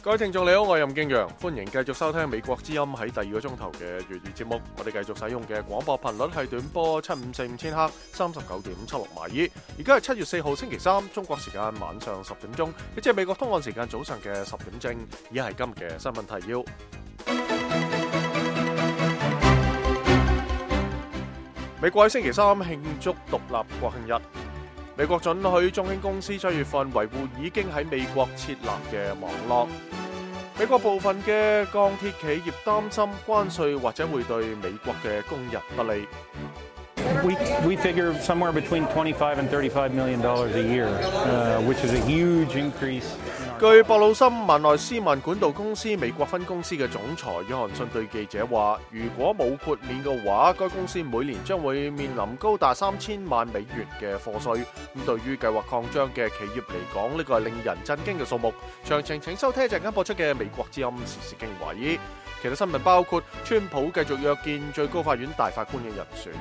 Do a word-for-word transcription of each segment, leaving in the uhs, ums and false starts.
各位聽眾你好，我係任敬陽，歡迎繼續收聽美國之音喺第二個鐘頭嘅粵語節目。我哋繼續使用嘅廣播頻率係短波七五四五千赫，三十九點七六馬爾。而家係七月四號星期三，中國時間晚上十點鐘，亦即係美國東岸時間早上嘅十點正。以下係今日嘅新聞提要。美國喺星期三慶祝獨立國慶日。美國准許中興公司七月份維護已經喺美國設立嘅網絡。美國部分嘅鋼鐵企業擔心關稅或者會對美國嘅工人不利。We we figure somewhere between twenty-five and thirty-five million dollars a year, uh, which is a huge increase. 據博魯森萬內斯曼管道公司美國分公司嘅總裁約翰遜對記者話，如果冇豁免嘅話，該公司每年將會面臨高達三千萬美元嘅課稅。咁對於計劃擴張嘅企業嚟講，呢個係令人震驚嘅數目。詳情請收聽一陣間播出嘅美國之音時事經緯。其他新聞包括川普繼續約見最高法院大法官嘅人選，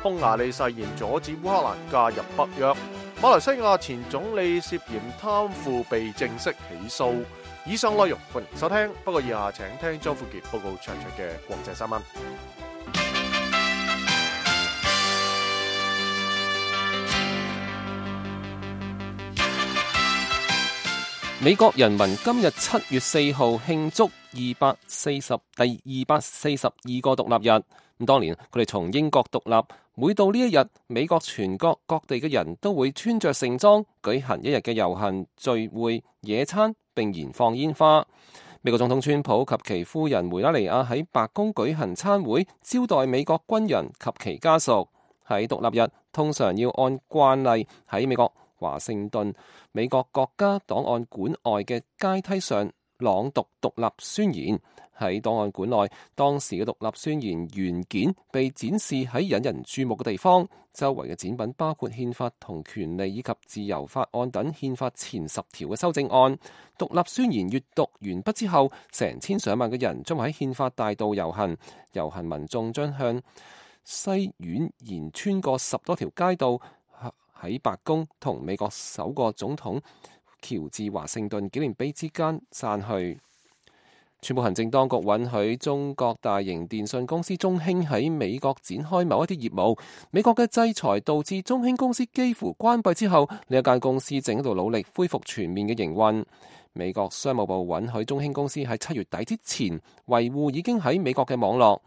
匈牙利誓言阻止烏克蘭加入北約，馬來西亞前總理涉嫌貪腐被正式起訴。以上內容歡迎收聽，不過以下請聽張富傑報告詳細嘅國際新聞。美國人民今日七月四號慶祝二百四十第二百四十二個獨立日。咁當年佢哋從英國獨立，每到呢一日，美國全國各地嘅人都會穿着盛裝，舉行一日嘅遊行、聚會、野餐，並燃放煙花。美國總統川普及其夫人梅拉尼亞喺白宮舉行餐會，招待美國軍人及其家屬。喺獨立日，通常要按慣例喺美國華盛頓美國國家檔案館外嘅階梯上朗讀獨立宣言。喺檔案館內，當時嘅獨立宣言原件被展示喺引人注目嘅地方，周圍嘅展品包括憲法同權利以及自由法案等憲法前十條嘅修正案。獨立宣言閱讀完畢之後，成千上萬嘅人將會喺憲法大道遊行，遊行民眾將向西苑沿穿過十多條街道，喺白宮同美國首個總統喬治華盛頓紀念碑之間散去。全部行政當局允許中國大型電信公司中興喺美國展開某一啲業務。美國嘅制裁導致中興公司幾乎關閉之後，呢一間公司正喺度努力恢復全面嘅營運。美國商務部允許中興公司喺七月底之前維護已經喺美國嘅網絡。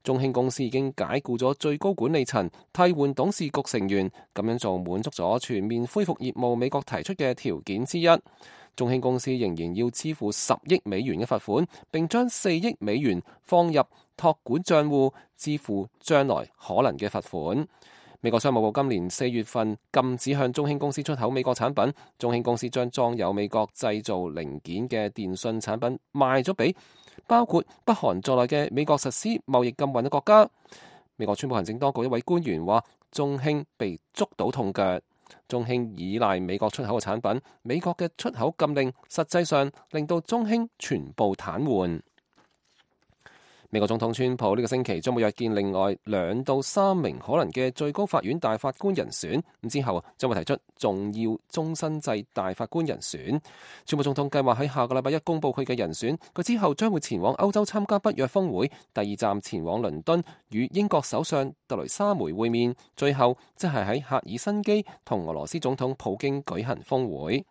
中興公司已經解僱咗最高管理層，替換董事局成員，咁樣做滿足咗全面恢復業務美國提出嘅條件之一。中興公司仍然要支付十億美元嘅罰款，並將四億美元放入託管賬戶，支付將來可能嘅罰款。美國商務部今年四月份禁止向中興公司出口美國產品，中興公司將裝有美國製造零件嘅電信產品賣咗俾包括北韓在內嘅美國實施貿易禁運嘅國家。美國川普行政當局一位官員話，中興被捉到痛腳。中興依賴美國出口嘅產品，美國嘅出口禁令實際上令到中興全部癱瘓。美國總統川普呢個星期將會約見另外兩到三名可能嘅最高法院大法官人選，咁之後將會提出重要終身制大法官人選。川普總統計劃喺下個禮拜一公布佢嘅人選，佢之後將會前往歐洲參加北約峰會，第二站前往倫敦與英國首相特雷莎梅會面，最後即係喺赫爾辛基同俄羅斯總統普京舉行峰會。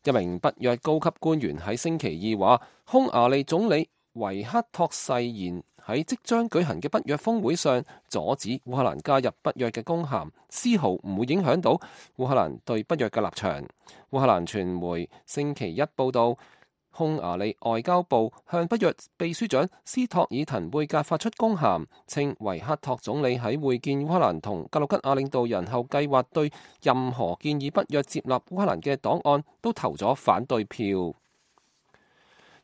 一名北約高級官員喺星期二話，匈牙利總理維克托誓言喺即將舉行嘅北約峰會上阻止烏克蘭加入北約嘅公函，絲毫唔會影響到烏克蘭對北約嘅立場。烏克蘭傳媒星期一報道，匈牙利外交部向北約秘書長斯托爾滕貝格發出公函，稱維克托總理喺會見烏克蘭同格魯吉亞領導人後，計劃對任何建議北約接納烏克蘭嘅檔案都投咗反對票。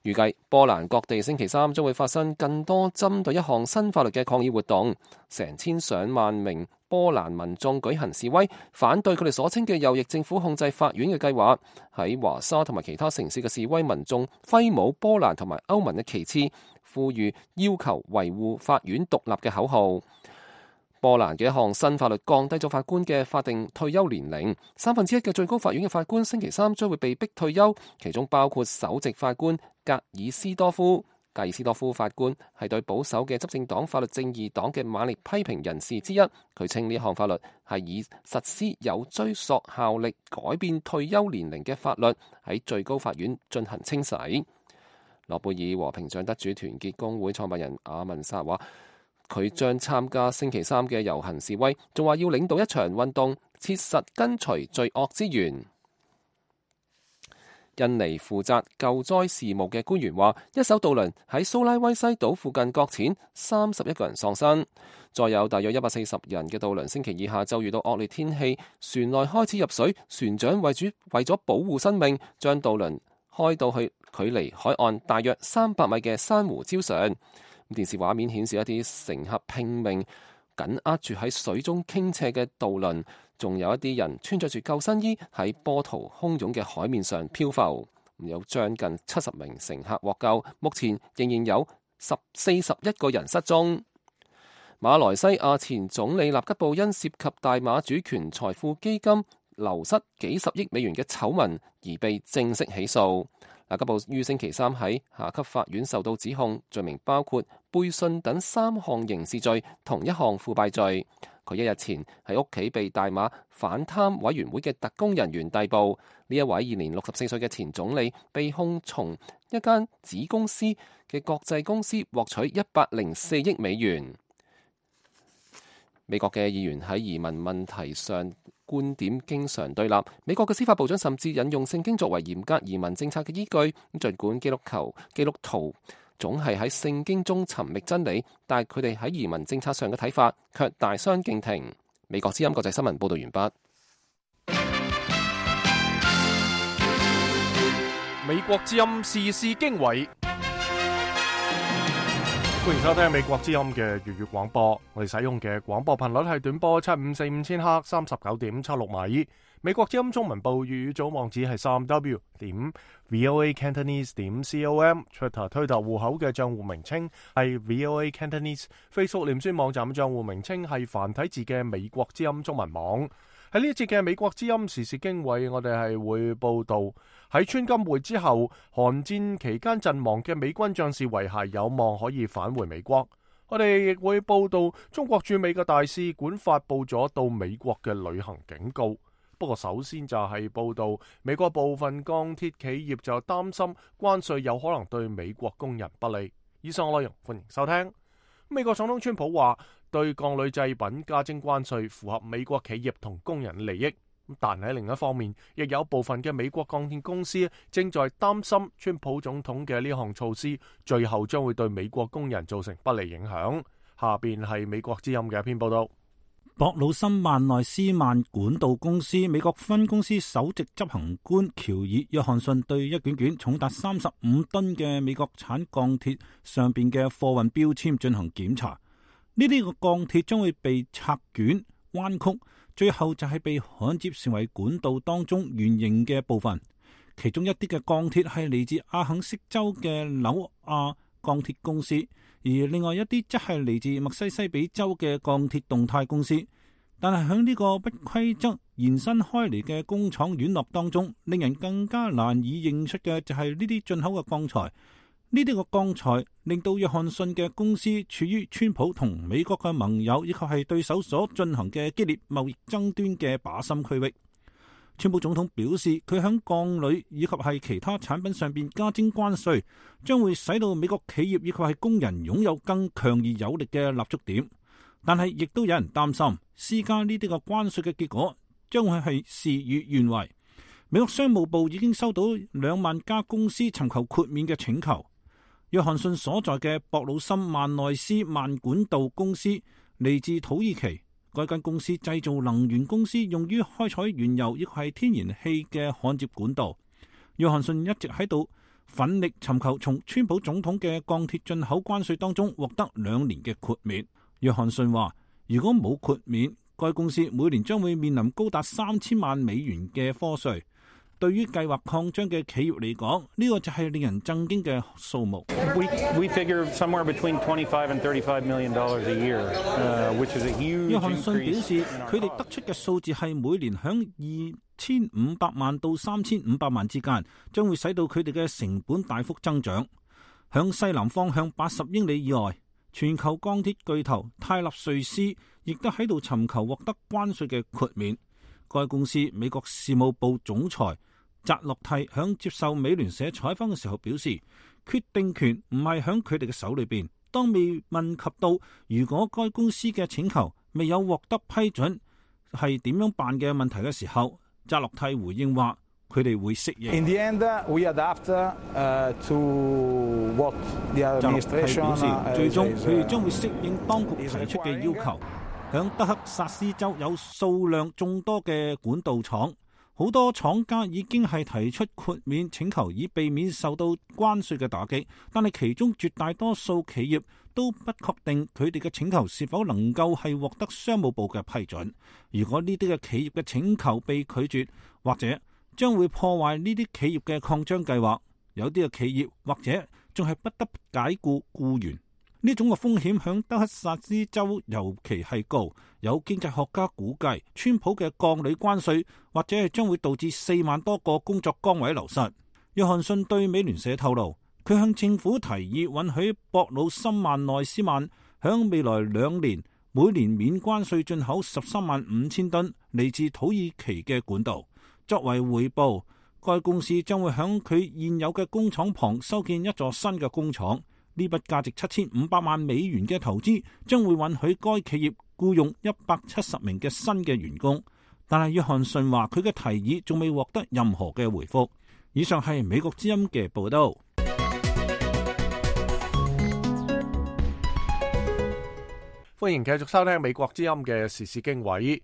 預計波蘭各地星期三將會發生更多針對一項新法律嘅抗議活動，成千上萬名波蘭民眾舉行示威，反對佢哋所稱嘅右翼政府控制法院嘅計劃。喺華沙同埋其他城市嘅示威民眾揮舞波蘭同埋歐盟嘅旗幟，呼籲要求維護法院獨立嘅口號。波蘭嘅一項新法律降低咗法官嘅法定退休年齡，三分之一嘅最高法院嘅法官星期三將會被逼退休，其中包括首席法官格爾斯多夫。格爾斯多夫法官係對保守嘅執政黨法律正義黨嘅猛烈批評人士之一，佢稱呢項法律係以實施有追溯效力改變退休年齡嘅法律喺最高法院進行清洗。諾貝爾和平獎得主團結工會創辦人阿文薩話，佢將參加星期三嘅遊行示威，仲話要領導一場運動，切實根除罪惡之源。印尼負責救災事務嘅官員話，一艘渡輪喺蘇拉威西島附近擱淺，三十一個人喪生。再有大約一百四十人嘅渡輪星期二下晝遇到惡劣天氣，船內開始入水，船長為咗為咗保護生命，將渡輪開到去距離海岸大約三百米嘅珊瑚礁上。電視畫面顯示一啲乘客拼命緊握住喺水中傾斜嘅渡輪，仲有一啲人穿着住救生衣喺波濤洶湧嘅海面上漂浮。有將近七十名乘客獲救，目前仍然有十四十一個人失蹤。馬來西亞前總理納吉布因涉及大馬主權財富基金流失幾十億美元嘅醜聞而被正式起訴。納吉布於星期三喺下級法院受到指控，罪名包括背信等三項刑事罪同一項腐敗罪。佢一日前喺屋企被大馬反貪委員會嘅特工人員逮捕。呢一位現年六十四歲嘅前總理被控從一間子公司嘅國際公司獲取一百零四億美元。美國嘅議員喺移民問題上觀點經常對立，美國嘅司法部長甚至引用聖經作為嚴格移民政策嘅依據。儘管基督徒基督徒總係喺聖經中尋覓真理，但係佢哋喺移民政策上嘅睇法卻大相徑庭。美國之音國際新聞報道完畢。美國之音時事經緯，歡迎收聽美國之音嘅粵語廣播。我哋使用嘅廣播頻率係短波七五四五千赫，三十九點七六米。美國之音中文部粵語組網址係三 w 點 voa cantonese 點 com。Twitter 推特戶口嘅賬戶名稱係 voa cantonese。Facebook 臉書網站嘅賬戶名稱係繁體字嘅美國之音中文網。喺呢一節嘅美國之音時事經緯，我哋係會報道喺川金會之後，韓戰期間陣亡嘅美軍將士遺骸有望可以返回美國。我哋亦會報道中國駐美嘅大使館發佈咗到美國嘅旅行警告。不過首先就係報道美國部分鋼鐵企業就擔心關稅有可能對美國工人不利。以上內容歡迎收聽。美國總統川普話對鋼鋁製品加徵關稅符合美國企業同工人利益，但喺另一方面亦有部分嘅美國鋼鐵公司正在擔心川普總統嘅呢項措施最後將會對美國工人造成不利影響。下邊係美國之音嘅一篇報道。博魯森萬內斯曼管道公司美國分公司首席執行官喬爾約翰遜對一卷卷重達三十五噸嘅美國產鋼鐵上邊嘅貨運標籤進行檢查。呢啲個鋼鐵將會被拆卷彎曲，最後就係被焊接成為管道當中圓形嘅部分。其中一啲嘅鋼鐵係嚟自阿肯色州嘅紐亞鋼鐵公司，而另外一啲則係嚟自墨西西比州嘅鋼鐵動態公司。但係喺呢個不規則延伸開嚟嘅工廠院落當中，令人更加難以認出嘅就係呢啲進口嘅鋼材。呢啲個鋼材令到約翰遜嘅公司處於川普同美國嘅盟友以及係對手所進行嘅激烈貿易爭端嘅靶心區域。川普總統表示，佢喺鋼鋁以及係其他產品上邊加徵關稅，將會使到美國企業以及係工人擁有更強而有力嘅立足點。但係亦都有人擔心，施加呢啲個關稅嘅結果將會係事與願違。美國商務部已經收到兩萬家公司尋求豁免嘅請求。約翰遜所在嘅博魯森萬內斯萬管道公司嚟自土耳其，該間公司製造能源公司用於開採原油亦係天然氣嘅焊接管道。約翰遜一直喺度奮力尋求從川普總統嘅鋼鐵進口關稅當中獲得兩年嘅豁免。約翰遜話，如果冇豁免，該公司每年將會面臨高達三千萬美元嘅課稅。對於計劃擴張嘅企業嚟講，呢個就係令人震驚嘅數目。We we figure somewhere between twenty-five and thirty-five million dollars a year, uh, which is a huge increase. 約翰遜表示，佢哋得出嘅數字係每年響二千五百萬到三千五百萬之間，將會使到佢哋嘅成本大幅增長。響西南方向八十英里以外，全球鋼鐵巨頭泰勒瑞斯亦都喺度尋求獲得關稅嘅豁免。該公司美國事務部總裁扎洛蒂響接受美聯社採訪嘅時候表示，決定權唔係響佢哋嘅手裏邊。當未問及到如果該公司嘅請求未有獲得批准係點樣辦嘅問題嘅時候，扎洛蒂回應話佢哋會適應。In the end, we adapt to what the administration 表示，最終佢哋將會適應當局提出嘅要求。響德克薩斯州有數量眾多嘅管道廠，好多廠家已經係提出豁免請求，以避免受到關稅嘅打擊。但係其中絕大多數企業都不確定佢哋嘅請求是否能夠係獲得商務部嘅批准。如果呢啲嘅企業嘅請求被拒絕，或者將會破壞呢啲企業嘅擴張計劃。有啲嘅企業或者仲係不得不解僱僱員。呢種嘅風險響德克薩斯州尤其係高，有經濟學家估計，川普嘅鋼鋁關稅或者係將會導致四萬多個工作崗位流失。約翰遜對美聯社透露，佢向政府提議允許博魯森萬內斯曼響未來兩年每年免關稅進口十三萬五千噸嚟自土耳其嘅管道，作為回報，該公司將會響佢現有嘅工廠旁修建一座新嘅工廠。呢筆價值七千五百萬美元嘅投資將會允許該企業僱用一百七十名嘅新嘅員工，但係約翰遜話佢嘅提議仲未獲得任何嘅回覆。以上係美國之音嘅報道。歡迎繼續收聽美國之音嘅時事經緯。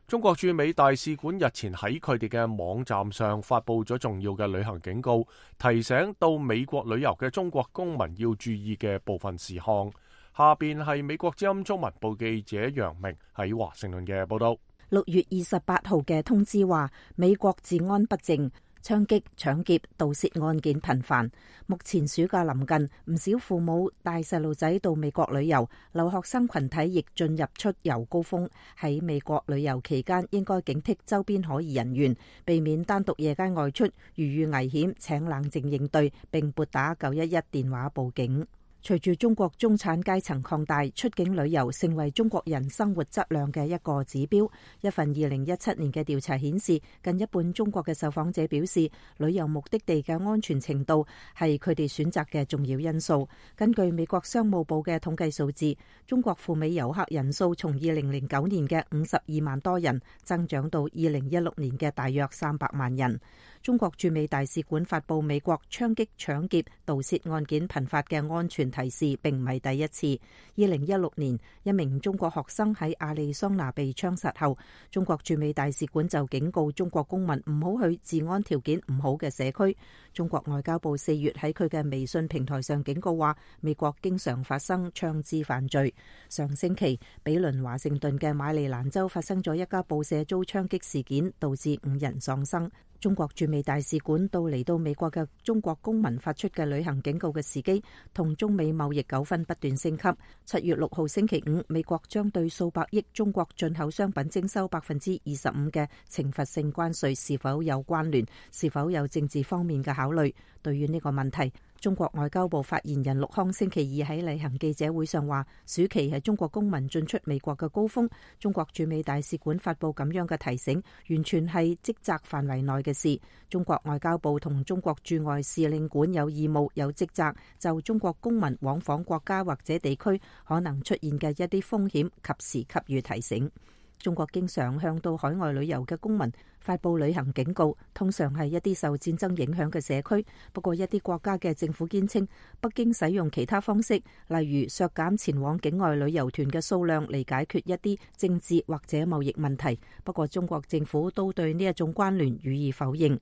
中國駐美大使館日前喺佢哋嘅網站上發佈咗重要嘅旅行警告，提醒到美國旅遊嘅中國公民要注意嘅部分事項。下邊係美國之音中文部記者楊明喺華盛頓嘅報道。六月二十八號嘅通知話，美國治安不正，槍擊、搶劫、盜竊案件頻繁。目前暑假臨近，唔少父母帶細路仔到美國旅遊，留學生群體亦進入出遊高峰。喺美國旅遊期間，應該警惕周邊可疑人員，避免單獨夜間外出。如遇危險，請冷靜應對，並撥打九一一電話報警。隨住中國中產階層擴大，出境旅遊成為中國人生活質量嘅一個指標。一份二零一七年嘅調查顯示，近一半中國嘅受訪者表示，旅遊目的地嘅安全程度係佢哋選擇嘅重要因素。根據美國商務部嘅統計數字，中國赴美遊客人數從二零零九年嘅五十二萬多人，增長到二零一六年嘅大約三百萬人。中國駐美大使館發佈美國槍擊、搶劫、盜竊案件頻發嘅安全提示，並唔係第一次。二零一六年，一名中國學生喺亞利桑那被槍殺後，中國駐美大使館就警告中國公民唔好去治安條件唔好嘅社區。中國外交部四月喺佢嘅微信平台上警告話，美國經常發生槍支犯罪。上星期，比鄰華盛頓嘅馬里蘭州發生咗一家報社遭槍擊事件，導致五人喪生。中國駐美大使館到嚟到美國嘅中國公民發出嘅旅行警告嘅時機，同中美貿易糾紛不斷升級。七月六號星期五，美國將對數百億中國進口商品徵收百分之二十五嘅懲罰性關稅，是否有關聯？是否有政治方面嘅考慮？對於呢個問題，中國外交部發言人陸康星期二喺例行記者會上話，暑期係中國公民進出美國嘅高峰。中國駐美大使館發佈咁樣嘅提醒，完全係職責範圍內嘅事。中國外交部同中國駐外使領館有義務、有職責就中國公民往訪國家或者地區可能出現嘅一啲風險，及時給予提醒。中國經常向到海外旅遊嘅公民發佈旅行警告，通常係一啲受戰爭影響嘅社區。不過一啲國家嘅政府堅稱，北京使用其他方式，例如削減前往境外旅遊團嘅數量嚟解決一啲政治或者貿易問題。不過中國政府都對呢一種關聯予以否認。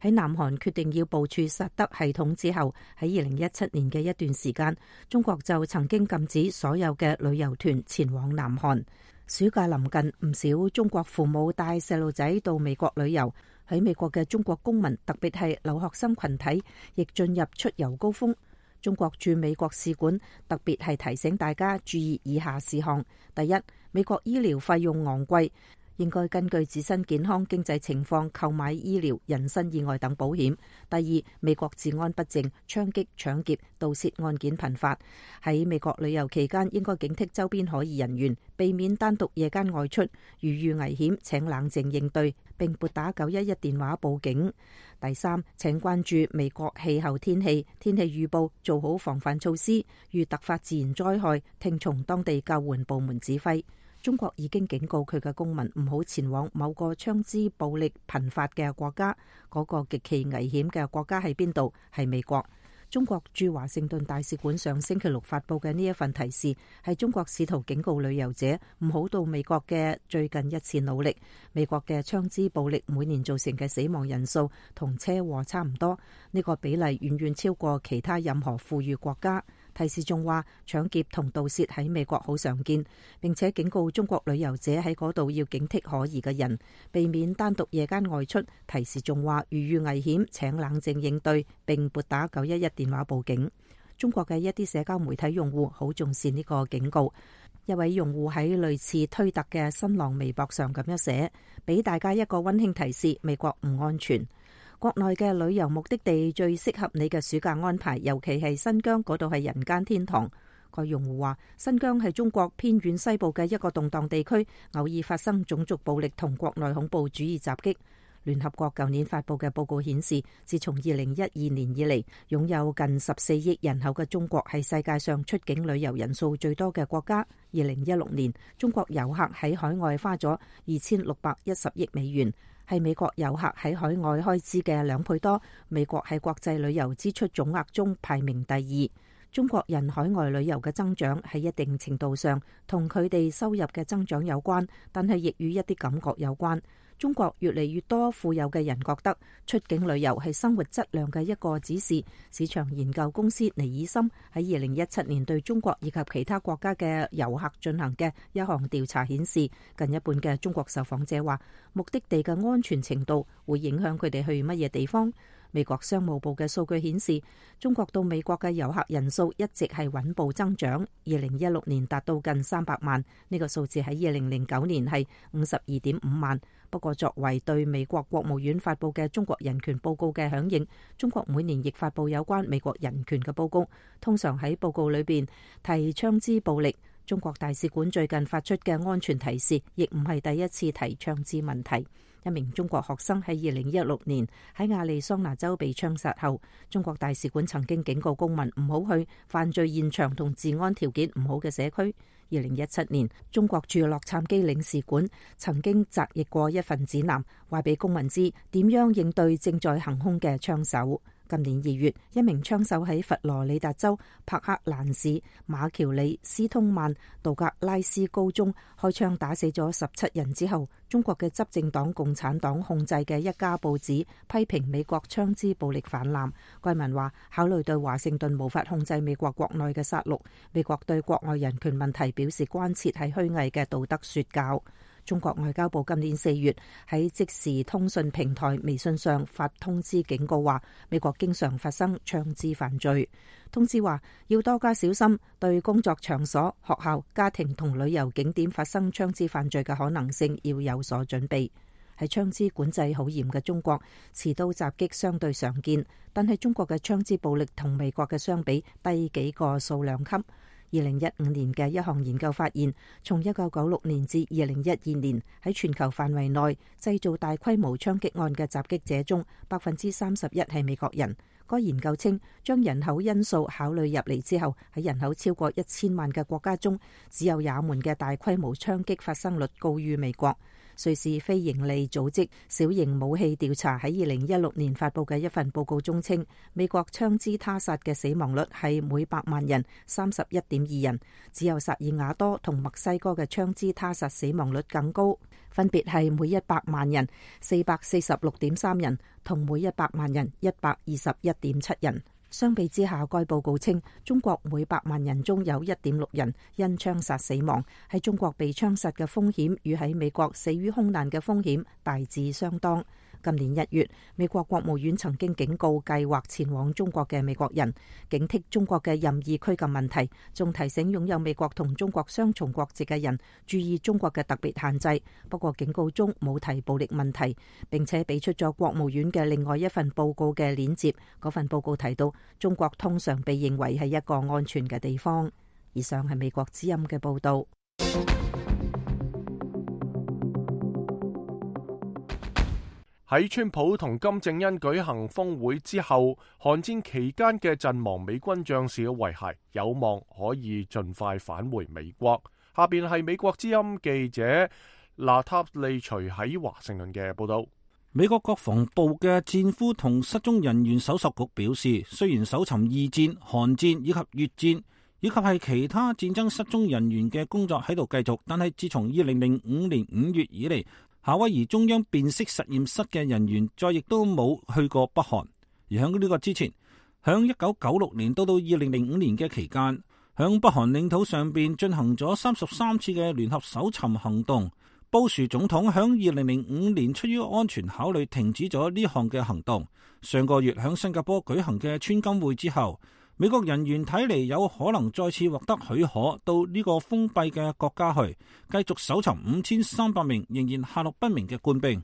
喺南韓決定要部署薩德系統之後，喺二零一七年嘅一段時間，中國就曾經禁止所有嘅旅遊團前往南韓。暑假臨近，唔少中國父母帶細路仔到美國旅遊。喺美國嘅中國公民，特別係留學生群體，亦進入出遊高峰。中國駐美國使館特別係提醒大家注意以下事項：第一，美國醫療費用昂貴，應該根據自身健康經濟情況購買醫療、人身意外等保險。第二，美國治安不正，槍擊、搶劫、盜竊案件頻發。喺美國旅遊期間，應該警惕周邊可疑人員，避免單獨夜間外出。如遇危險，請冷靜應對，並撥打九一一電話報警。第三，請關注美國氣候天氣、天氣預報，做好防範措施。遇突發自然災害，聽從當地救援部門指揮。中國已經警告佢嘅公民唔好前往某個槍支暴力頻發嘅國家，嗰個極其危險嘅國家喺邊度？係美國。中國駐華盛頓大使館上星期六發佈嘅呢一份提示，係中國試圖警告旅遊者唔好到美國嘅最近一次努力。美國嘅槍支暴力每年造成嘅死亡人數同車禍差唔多，呢個比例遠遠超過其他任何富裕國家。提示仲話，搶劫同盜竊喺美國好常見，並且警告中國旅遊者喺嗰度要警惕可疑嘅人，避免單獨夜間外出。提示仲話，如遇危險，請冷靜應對，並撥打九一一電話報警。中國嘅一啲社交媒體用戶好重視呢個警告。一位用戶喺類似推特嘅新浪微博上咁樣寫，俾大家一個溫馨提示：美國唔安全。國內嘅旅遊目的地最適合你嘅暑假安排，尤其係新疆，嗰度係人間天堂。個用戶話，新疆係中國偏遠西部嘅一個動盪地區，偶爾發生種族暴力同國內恐怖主義襲擊。聯合國舊年發布嘅報告顯示，自從二零一二年以嚟，擁有近十四億人口嘅中國係世界上出境旅遊人數最多嘅國家。二零一六年，中國遊客喺海外花咗二千六百一十億美元，係美國遊客喺海外開支嘅兩倍多。美國喺國際旅遊支出總額中排名第二。中國人海外旅遊嘅增長喺一定程度上同佢哋收入嘅增長有關，但係亦與一啲感覺有關。中國越嚟越多富有嘅人覺得出境旅遊係生活質量嘅一個指示。市場研究公司尼爾森喺二零一七年對中國以及其他國家嘅遊客進行嘅一項調查顯示，近一半嘅中國受訪者話目的地嘅安全程度會影響佢哋去乜嘢地方。美國商務部嘅數據顯示，中國到美國嘅遊客人數一直係穩步增長，二零一六年達到近三百萬，呢個數字喺二零零九年係五十二點五萬。不過作為對美國國務院發佈嘅中國人權報告嘅響應，中國每年亦發佈有關美國人權嘅報告，通常喺報告裏邊提槍支暴力。中國大使館最近發出嘅安全提示，亦唔係第一次提槍支問題。一名中國學生喺二零一六年喺亞利桑那州被槍殺後，中國大使館曾經警告公民唔好去犯罪現場同治安條件唔好嘅社區。二零一七年，中國駐洛杉磯領事館曾經摘譯過一份指南，話俾公民知點樣應對正在行兇嘅槍手。今年二月，一名槍手喺佛羅里達州帕克蘭市馬喬里斯通曼杜格拉斯高中開槍打死咗十七人之後，中國嘅執政黨共產黨控制嘅一家報紙批評美國槍支暴力泛濫。該文話，考慮對華盛頓無法控制美國國內嘅殺戮，美國對國外人權問題表示關切係虛偽嘅道德說教。中國外交部今年四月喺即時通訊平台微信上發通知警告話，美國經常發生槍支犯罪。通知話要多加小心，對工作場所、學校、家庭同旅遊景點發生槍支犯罪嘅可能性要有所準備。喺槍支管制好嚴嘅中國，持刀襲擊相對常見，但係中國嘅槍支暴力同美國嘅相比低幾個數量級。二零一五年嘅一項研究發現，從一九九六年至二零一二年，喺全球範圍內製造大規模槍擊案嘅襲擊者中，百分之三十一係美國人。該研究稱，將人口因素考慮入嚟之後，喺人口超過一千萬嘅國家中，只有也門嘅大規模槍擊發生率高於美國。瑞士非營利組織小型武器調查喺二零一六年發佈嘅一份報告中稱，美國槍支他殺嘅死亡率係每百萬人三十一點二人，只有薩爾瓦多同墨西哥嘅槍支他殺死亡率更高，分別係每一百萬人四百四十六點三人同每一百萬人一百二十一點七人。相比之下，該報告稱中國每百萬人中有一點六人因槍殺死亡，喺中國被槍殺嘅風險與喺美國死於空難嘅風險大致相當。今年一月，美國國務院曾經警告計劃前往中國嘅美國人，警惕中國嘅任意拘禁問題，仲提醒擁有美國同中國雙重國籍嘅人注意中國嘅特別限制。不過警告中冇提暴力問題，並且俾出咗國務院嘅另外一份報告嘅鏈接。嗰份報告提到，中國通常被認為係一個安全嘅地方。以上係美國之音嘅報道。喺川普同金正恩舉行峰會之後，韓戰期間嘅陣亡美軍將士嘅遺骸有望可以盡快返回美國。下邊係美國之音記者娜塔莉隨喺華盛頓嘅報道。美國國防部嘅戰俘同失蹤人員搜索局表示，雖然搜尋二戰、韓戰以及越戰以及係其他戰爭失蹤人員嘅工作喺度繼續，但係自從二零零五年五月以嚟，夏威夷中央辨識實驗室嘅人員再亦都冇去過北韓。而喺呢個之前，響一九九六年到到二零零五年嘅期間，響北韓領土上邊進行咗三十三次嘅聯合搜尋行動。布殊總統響二零零五年出於安全考慮停止咗呢項嘅行動。上個月響新加坡舉行嘅川金會之後，美國人員睇嚟有可能再次獲得許可到呢個封閉嘅國家去，繼續搜尋五千三百名仍然下落不明嘅官兵。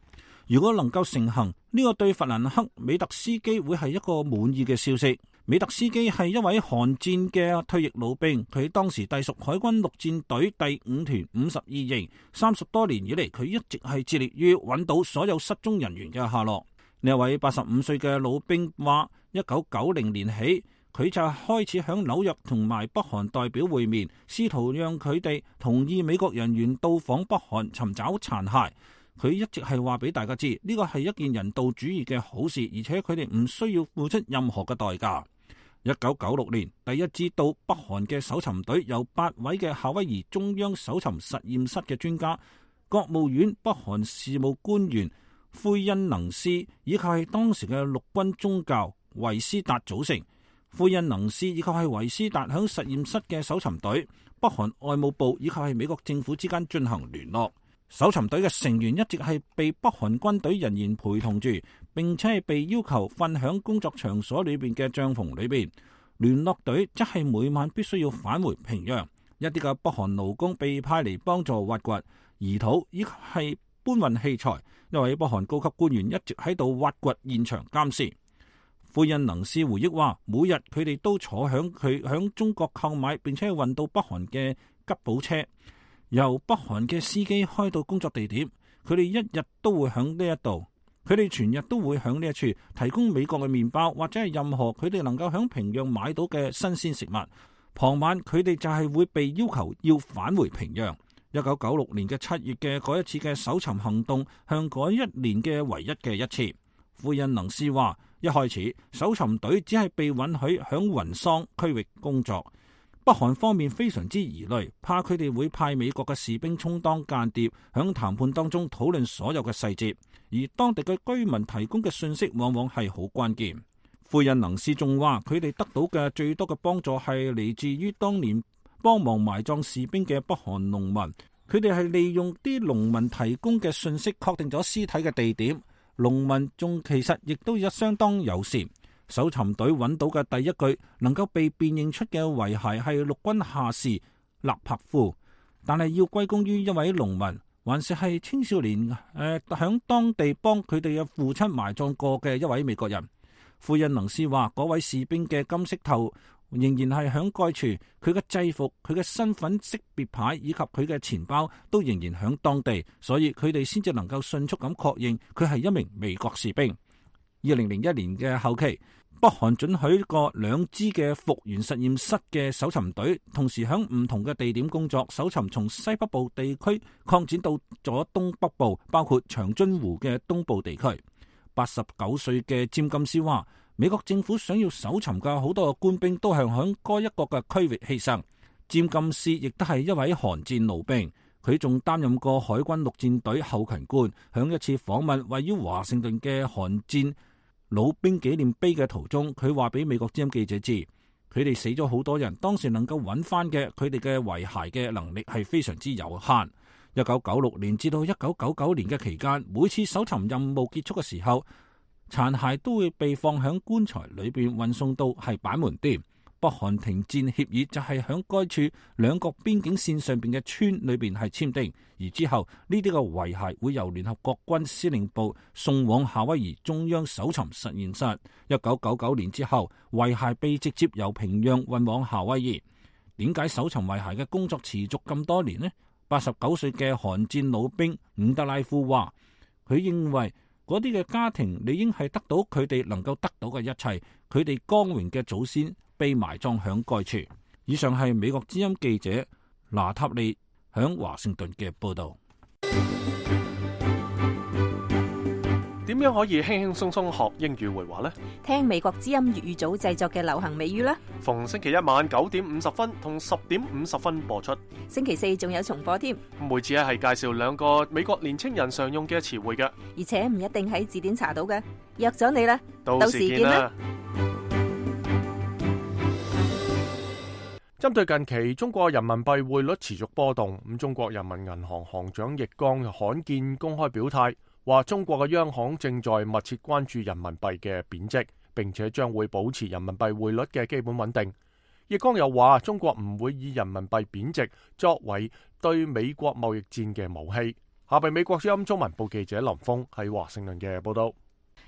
如果能夠成行，呢個對弗蘭克·美特斯基會係一個滿意嘅消息。美特斯基係一位韓戰嘅退役老兵，佢當時隸屬海軍陸戰隊第五團五十二營。三十多年以嚟，佢一直係致力於揾到所有失蹤人員嘅下落。呢一位八十五歲嘅老兵話，一九九零年起，佢就開始響紐約同埋北韓代表會面，試圖讓佢哋同意美國人員到訪北韓尋找殘骸。佢一直係話俾大家知，呢個係一件人道主義嘅好事，而且佢哋唔需要付出任何嘅代價。一九九六年，第一支到北韓嘅搜尋隊由八位嘅夏威夷中央搜尋實驗室嘅專家、國務院北韓事務官員奎恩能斯以及係當時嘅陸軍中校維斯達組成。奎恩能斯以及係維斯達響實驗室嘅搜尋隊、北韓外務部以及係美國政府之間進行聯絡。搜尋隊嘅成員一直係被北韓軍隊人員陪同住，並且係被要求瞓響工作場所裏邊嘅帳篷裏邊。聯絡隊則係每晚必須要返回平壤。一啲嘅北韓勞工被派嚟幫助挖掘、移土以及係搬運器材。一位北韓高級官員一直喺度挖掘現場監視。奎恩能斯回憶話，每日佢哋都坐響佢響中國購買並且運到北韓嘅吉普車，由北韓嘅司機開到工作地點。佢哋一日都會響呢一度，佢哋全日都會響呢一處提供美國嘅麵包或者係任何佢哋能夠響平壤買到嘅新鮮食物。傍晚佢哋就係會被要求要返回平壤。一九九六年嘅七月嘅嗰一次嘅搜尋行動，向嗰一年嘅唯一嘅一次。奎恩能斯話，一開始搜尋隊只係被允許響雲桑區域工作。北韓方面非常之疑慮，怕佢哋會派美國嘅士兵充當間諜，響談判當中討論所有嘅細節，而當地嘅居民提供嘅信息往往係好關鍵。奎恩能斯仲話，佢哋得到嘅最多嘅幫助係嚟自於當年幫忙埋葬士兵嘅北韓農民，佢哋係利用啲農民提供嘅信息確定咗屍體嘅地點。農民仲其實亦都有相當友善。搜尋隊揾到嘅第一具能夠被辨認出嘅遺骸係陸軍下士勒帕夫，但係要歸功於一位農民，還是係青少年誒響、呃、當地幫佢哋嘅父親埋葬過嘅一位美國人。奎恩能斯話，嗰位士兵嘅金色頭仍然係響該處，佢嘅制服、佢嘅身份識別牌以及佢嘅錢包都仍然響當地，所以佢哋先至能夠迅速咁確認佢係一名美國士兵。二零零一年嘅後期，北韓准許過兩支嘅復原實驗室嘅搜尋隊，同時響唔同嘅地點工作，搜尋從西北部地區擴展到咗東北部，包括長津湖嘅東部地區。八十九歲嘅詹金斯話，美國政府想要搜尋嘅好多嘅官兵都係響該一個嘅區域犧牲。詹金斯亦都係一位韓戰老兵，佢仲擔任過海軍陸戰隊後勤官。響一次訪問位於華盛頓嘅韓戰老兵紀念碑嘅途中，佢話俾美國之音記者知，佢哋死咗好多人，當時能夠揾翻嘅佢哋嘅遺骸嘅能力係非常之有限。一九九六年至到一九九九年嘅期間，每次搜尋任務結束嘅時候，殘骸都會被放響棺材裏邊運送到係板門店。北韓停戰協議就係響該處兩國邊境線上邊嘅村裏邊係簽訂，而之後呢啲嘅遺骸會由聯合國軍司令部送往夏威夷中央搜尋實驗室。一九九九年之後，遺骸被直接由平壤運往夏威夷。點解搜尋遺骸嘅工作持續咁多年呢？八十九歲嘅韓戰老兵伍德拉夫話，佢認為嗰啲嘅家庭理應係得到佢哋能夠得到嘅一切，佢哋光榮嘅祖先被埋葬響該處。以上係美國之音記者拿塔利響華盛頓嘅報道。點樣可以輕輕鬆鬆學英語會話呢？聽美國之音粵語組製作嘅流行美語啦。逢星期一晚九點五十分同十點五十分播出。星期四仲有重播添。每次咧係介紹兩個美國年青人常用嘅詞彙嘅，而且唔一定喺字典查到嘅。約咗你啦，到時見啦。針對近期中國人民幣匯率持續波動，咁中國人民銀行行長易綱罕見公開表態，話中國嘅央行正在密切關注人民幣嘅貶值，並且將會保持人民幣匯率嘅基本穩定。易綱又話，中國唔會以人民幣貶值作為對美國貿易戰嘅武器。下邊美國之音中文部記者林峰喺華盛頓嘅報道。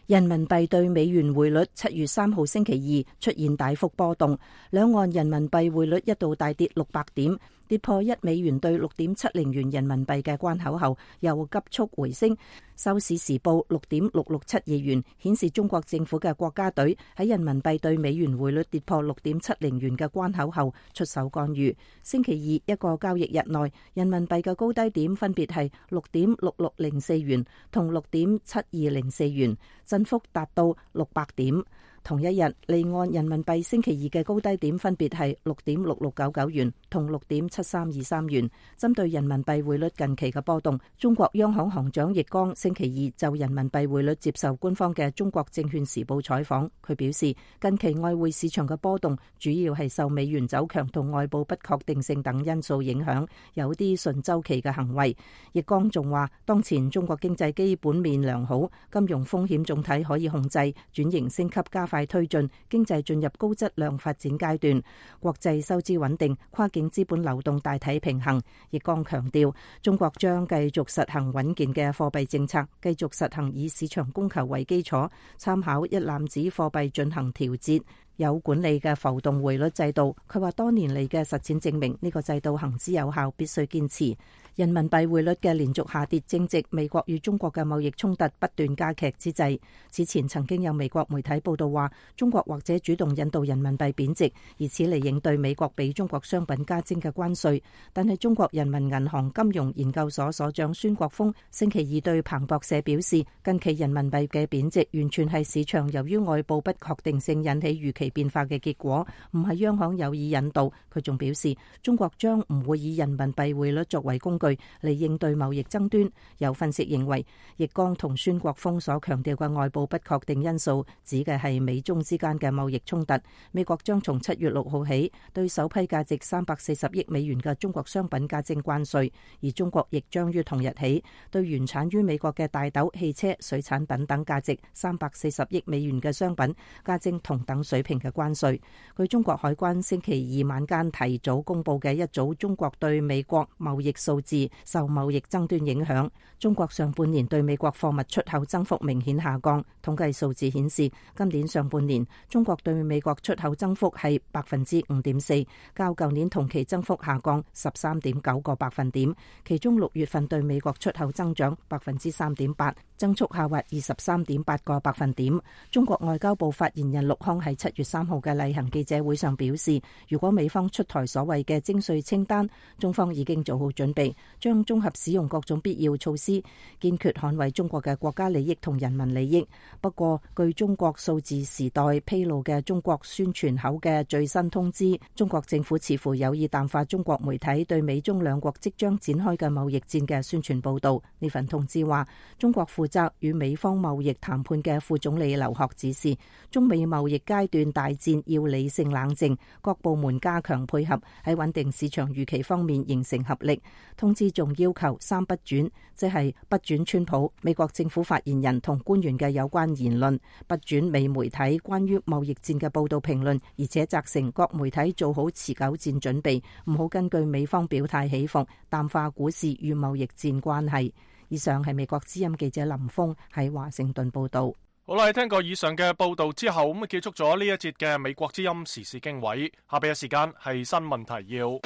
人民幣對美元匯率七月三號星期二出現大幅波動，兩岸人民幣匯率一度大跌六百點，跌破一美元兌六點七零元人民幣嘅關口後，又急速回升，收市時報六點六六七二元，顯示中國政府嘅國家隊喺人民幣對美元匯率跌破六點七零元嘅關口後出手干預。星期二一個交易日內，人民幣嘅高低點分別係六點六六零四元同六點七二零四元，振幅達到六百點。同一日，離岸人民幣星期二嘅高低點分別係六點六六九九元同六點七三二三元。針對人民幣匯率近期嘅波動，中國央行行長易綱星期二就人民幣匯率接受官方嘅中國證券時報採訪，佢表示近期外匯市場嘅波動主要係受美元走強同外部不確定性等因素影響，有啲順周期嘅行為。易綱仲話，當前中國經濟基本面良好，金融風險總體可以控制，轉型升級加快推進，經濟進入高質量發展階段，國際收支穩定，跨境資本流動大體平衡。易綱強調，中國將繼續實行穩健嘅貨幣政策，繼續實行以市場供求為基礎，參考一籃子貨幣進行調節，有管理嘅浮動匯率制度。佢話多年嚟嘅實踐證明呢個制度行之有效，必須堅持。人民幣匯率嘅連續下跌正值美國與中國嘅貿易衝突不斷加劇之際。此前曾經有美國媒體報道話，中國或者主動引導人民幣貶值，以此嚟應對美國俾中國商品加徵嘅關稅。但係中國人民銀行金融研究所所長孫國峰星期二對彭博社表示，近期人民幣嘅貶值完全係市場由於外部不確定性引起預期變化嘅結果，唔係央行有意引導。佢仲表示，中國將唔會以人民幣匯率作為工具嚟應對貿易爭端。有分析認為，易綱同孫國峰所強調嘅外部不確定因素，指嘅係美中之間嘅貿易衝突。美國將從七月六號起對首批價值三百四十億美元嘅中國商品加徵關稅，而中國亦將於同日起對原產於美國嘅大豆、汽車、水產品等價值三百四十億美元嘅商品加徵同等水平嘅關稅。據中國海關星期二晚間提早公布嘅一組中國對美國貿易數字，受貿易爭端影響，中國上半年對美國貨物出口增幅明顯下降。統計數字顯示，今年上半年中國對美國出口增幅係百分之五點四，較舊年同期增幅下降十三點九個百分點。其中六月份對美國出口增長百分之三點八，增速下滑二十三點八個百分點。中國外交部發言人陸康喺七月三號嘅例行記者會上表示，如果美方出台所謂嘅徵稅清單，中方已經做好準備，將綜合使用各種必要措施，堅決捍衛中國嘅國家利益同人民利益。不過，據中國數字時代披露嘅中國宣傳口嘅最新通知，中國政府似乎有意淡化中國媒體對美中兩國即將展開嘅貿易戰嘅宣傳報導。呢份通知話，中國負責與美方貿易談判嘅副總理劉鶴指示，中美貿易階段大戰要理性冷靜，各部門加強配合，喺穩定市場預期方面形成合力。通知仲要求三不轉，即係不轉川普、美國政府發言人同官員嘅有關言論，不轉美媒體關於貿易戰嘅報道評論，而且責成各媒體做好持久戰準備，唔好根據美方表態起伏，淡化股市與貿易戰關係。以上係美國之音記者林峰喺華盛頓報道。好啦，聽過以上嘅報道之後，咁結束咗呢一節嘅美國之音時事經緯。下邊嘅時間係新聞提要。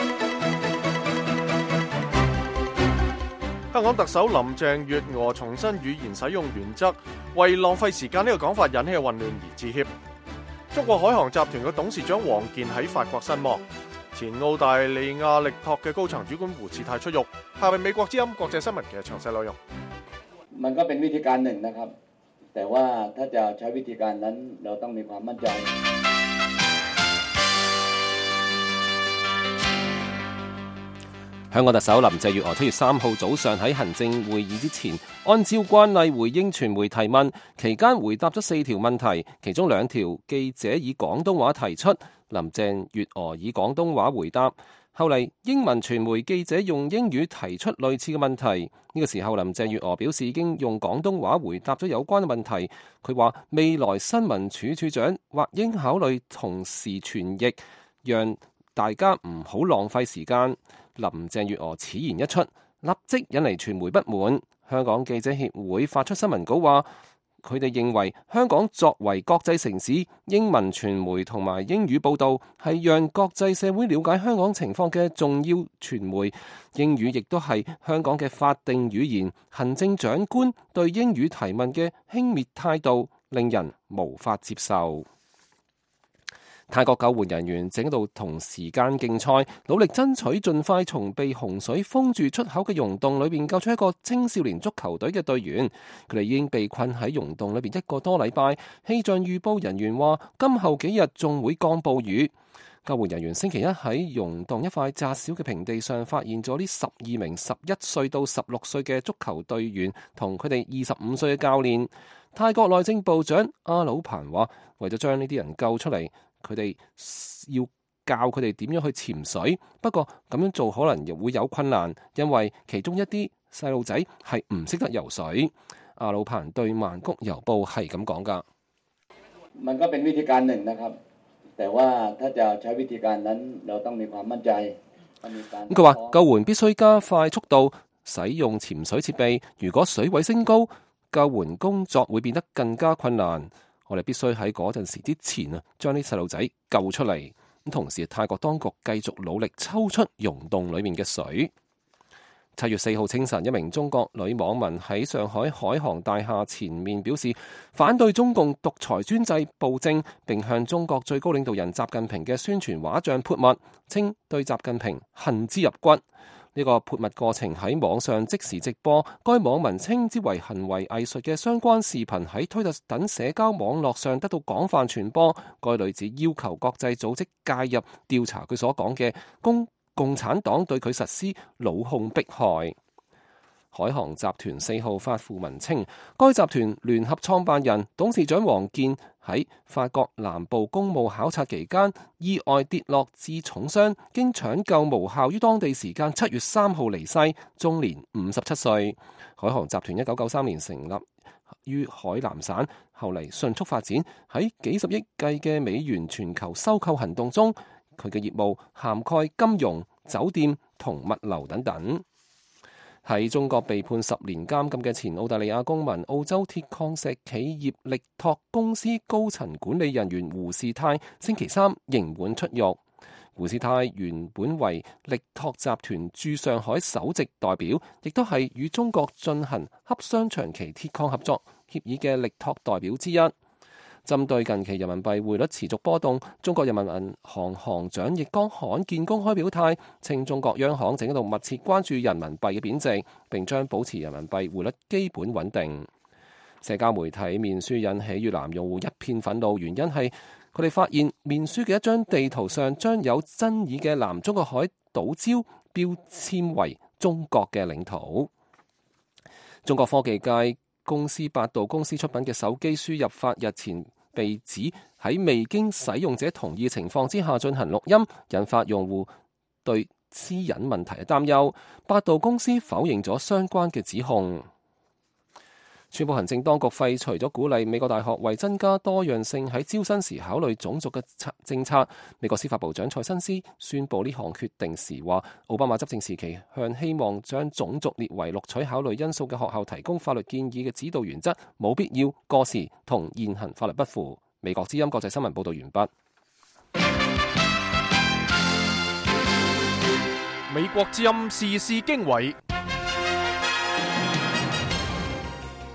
香港特首林鄭月娥重申語言使用原則，為浪費時間呢個講法引起嘅混亂而致歉。中國海航集團嘅董事長王健喺法國身亡。前澳大利亞力拓嘅高層主管胡志泰出獄。下邊美國之音國際新聞嘅詳細內容。มันก็เป็นวิธีการหนึ่งนะครับแต่ว่าถ้าจะใช้วิธีการนั้นเราต้องมีความมั่นใจ香港特首林鄭月娥七月三號早上喺行政會議之前，按照慣例回應傳媒提問，期間回答咗四條問題，其中兩條記者以廣東話提出，林鄭月娥以廣東話回答。後嚟英文傳媒記者用英語提出類似嘅問題，呢、這個時候林鄭月娥表示已經用廣東話回答咗有關嘅問題。佢話未來新聞處處長或應考慮同時傳譯，讓大家唔好浪費時間。林鄭月娥此言一出，立即引嚟傳媒不滿。香港記者協會發出新聞稿話，佢哋認為香港作為國際城市，英文傳媒同埋英語報導係讓國際社會了解香港情況嘅重要傳媒，英語亦都係香港嘅法定語言。行政長官對英語提問嘅輕蔑態度，令人無法接受。泰國救援人員正喺度同時間競賽，努力爭取盡快從被洪水封住出口嘅溶洞裏邊救出一個青少年足球隊嘅隊員。佢哋已經被困喺溶洞裏邊一個多禮拜。氣象預報人員話，今後幾日仲會降暴雨。救援人員星期一喺溶洞一塊窄小嘅平地上發現咗呢十二名十一歲到十六歲嘅足球隊員同佢哋二十五歲嘅教練。泰國內政部長阿魯彭話，為咗將呢啲人救出嚟，佢哋要教佢哋點樣去潛水，不過咁樣做可能亦會有困難，因為其中一啲細路仔係唔識得游水。阿魯彭對曼谷郵報係咁講㗎。มันก็เป็นวิธีการหนึ่งนะครับแต่ว่าถ้าจะใช้วิธีการนั้นเราต้องมีความมั่นใจ佢話救援必須加快速度，使用潛水設備。如果水位升高，救援工作會變得更加困難。我哋必須喺嗰陣時之前啊，將啲細路仔救出嚟。咁同時，泰國當局繼續努力抽出溶洞裏面嘅水。七月四號清晨，一名中國女網民喺上海海航大廈前面表示反對中共獨裁專制暴政，並向中國最高領導人習近平嘅宣傳畫像潑墨，稱對習近平恨之入骨。呢個潑墨過程喺網上即時直播，該網民稱之為行為藝術嘅相關視頻喺推特等社交網絡上得到廣泛傳播。該女子要求國際組織介入調查佢所講嘅共共產黨對佢實施惱控迫害。海航集團四號發訃文稱，該集團聯合創辦人董事長王健喺法國南部公務考察期間意外跌落致重傷，經搶救無效於當地時間七月三號離世，終年五十七歲。海航集團一九九三年成立於海南省，後嚟迅速發展，喺幾十億計嘅美元全球收購行動中，佢嘅業務涵蓋金融、酒店同物流等等。喺中國被判十年監禁嘅前澳大利亞公民、澳洲鐵礦石企業力拓公司高層管理人員胡士泰，星期三刑滿出獄。胡士泰原本為力拓集團駐上海首席代表，亦都係與中國進行洽商長期鐵礦合作協議嘅力拓代表之一。針對近期人民幣匯率持續波動，中國人民銀行行長易綱罕見公開表態，稱中國央行正喺度密切關注人民幣嘅貶值，並將保持人民幣匯率基本穩定。社交媒體面書引起越南用戶一片憤怒，原因係佢哋發現面書嘅一張地圖上將有爭議嘅南中國海島礁標籤為中國嘅領土。中國科技界公司百度公司出品嘅手機輸入法日前被指喺未經使用者同意情況之下進行錄音，引發用戶對私隱問題嘅擔憂。百度公司否認咗相關嘅指控。宣布行政當局廢除咗鼓勵美國大學為增加多樣性喺招生時考慮種族嘅政策。美國司法部長蔡新斯宣布呢項決定時話，奧巴馬執政時期向希望將種族列為錄取考慮因素嘅學校提供法律建議嘅指導原則冇必要、過時同現行法律不符。美國之音國際新聞報道完畢。美國之音時事經緯。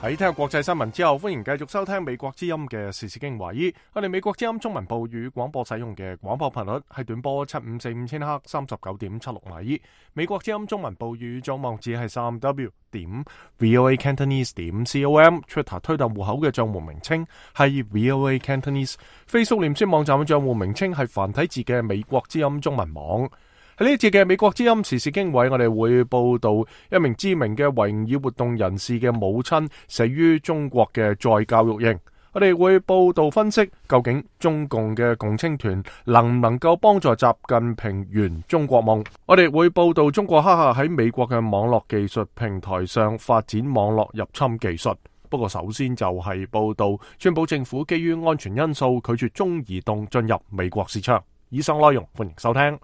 喺聽國際新聞之後，歡迎繼續收聽美國之音嘅時事經緯。我哋美國之音中文部與廣播使用嘅廣播頻率係短波七五四五千赫三十九點七六米。美國之音中文部與總網址係三 w 點 voa cantonese 點 com。Twitter 推特戶口嘅賬戶名稱係 voa cantonese。Facebook 臉書網站嘅賬戶名稱係繁體字嘅美國之音中文網。喺呢一節嘅美國之音時事經緯，我哋會報道一名知名嘅維吾爾活動人士嘅母親死於中國嘅再教育營。我哋會報道分析究竟中共嘅共青團能唔能夠幫助習近平圓中國夢。我哋會報道中國黑客喺美國嘅網絡技術平台上發展網絡入侵技術。不過首先就係報道川普政府基於安全因素拒絕中移動進入美國市場。以上內容歡迎收聽。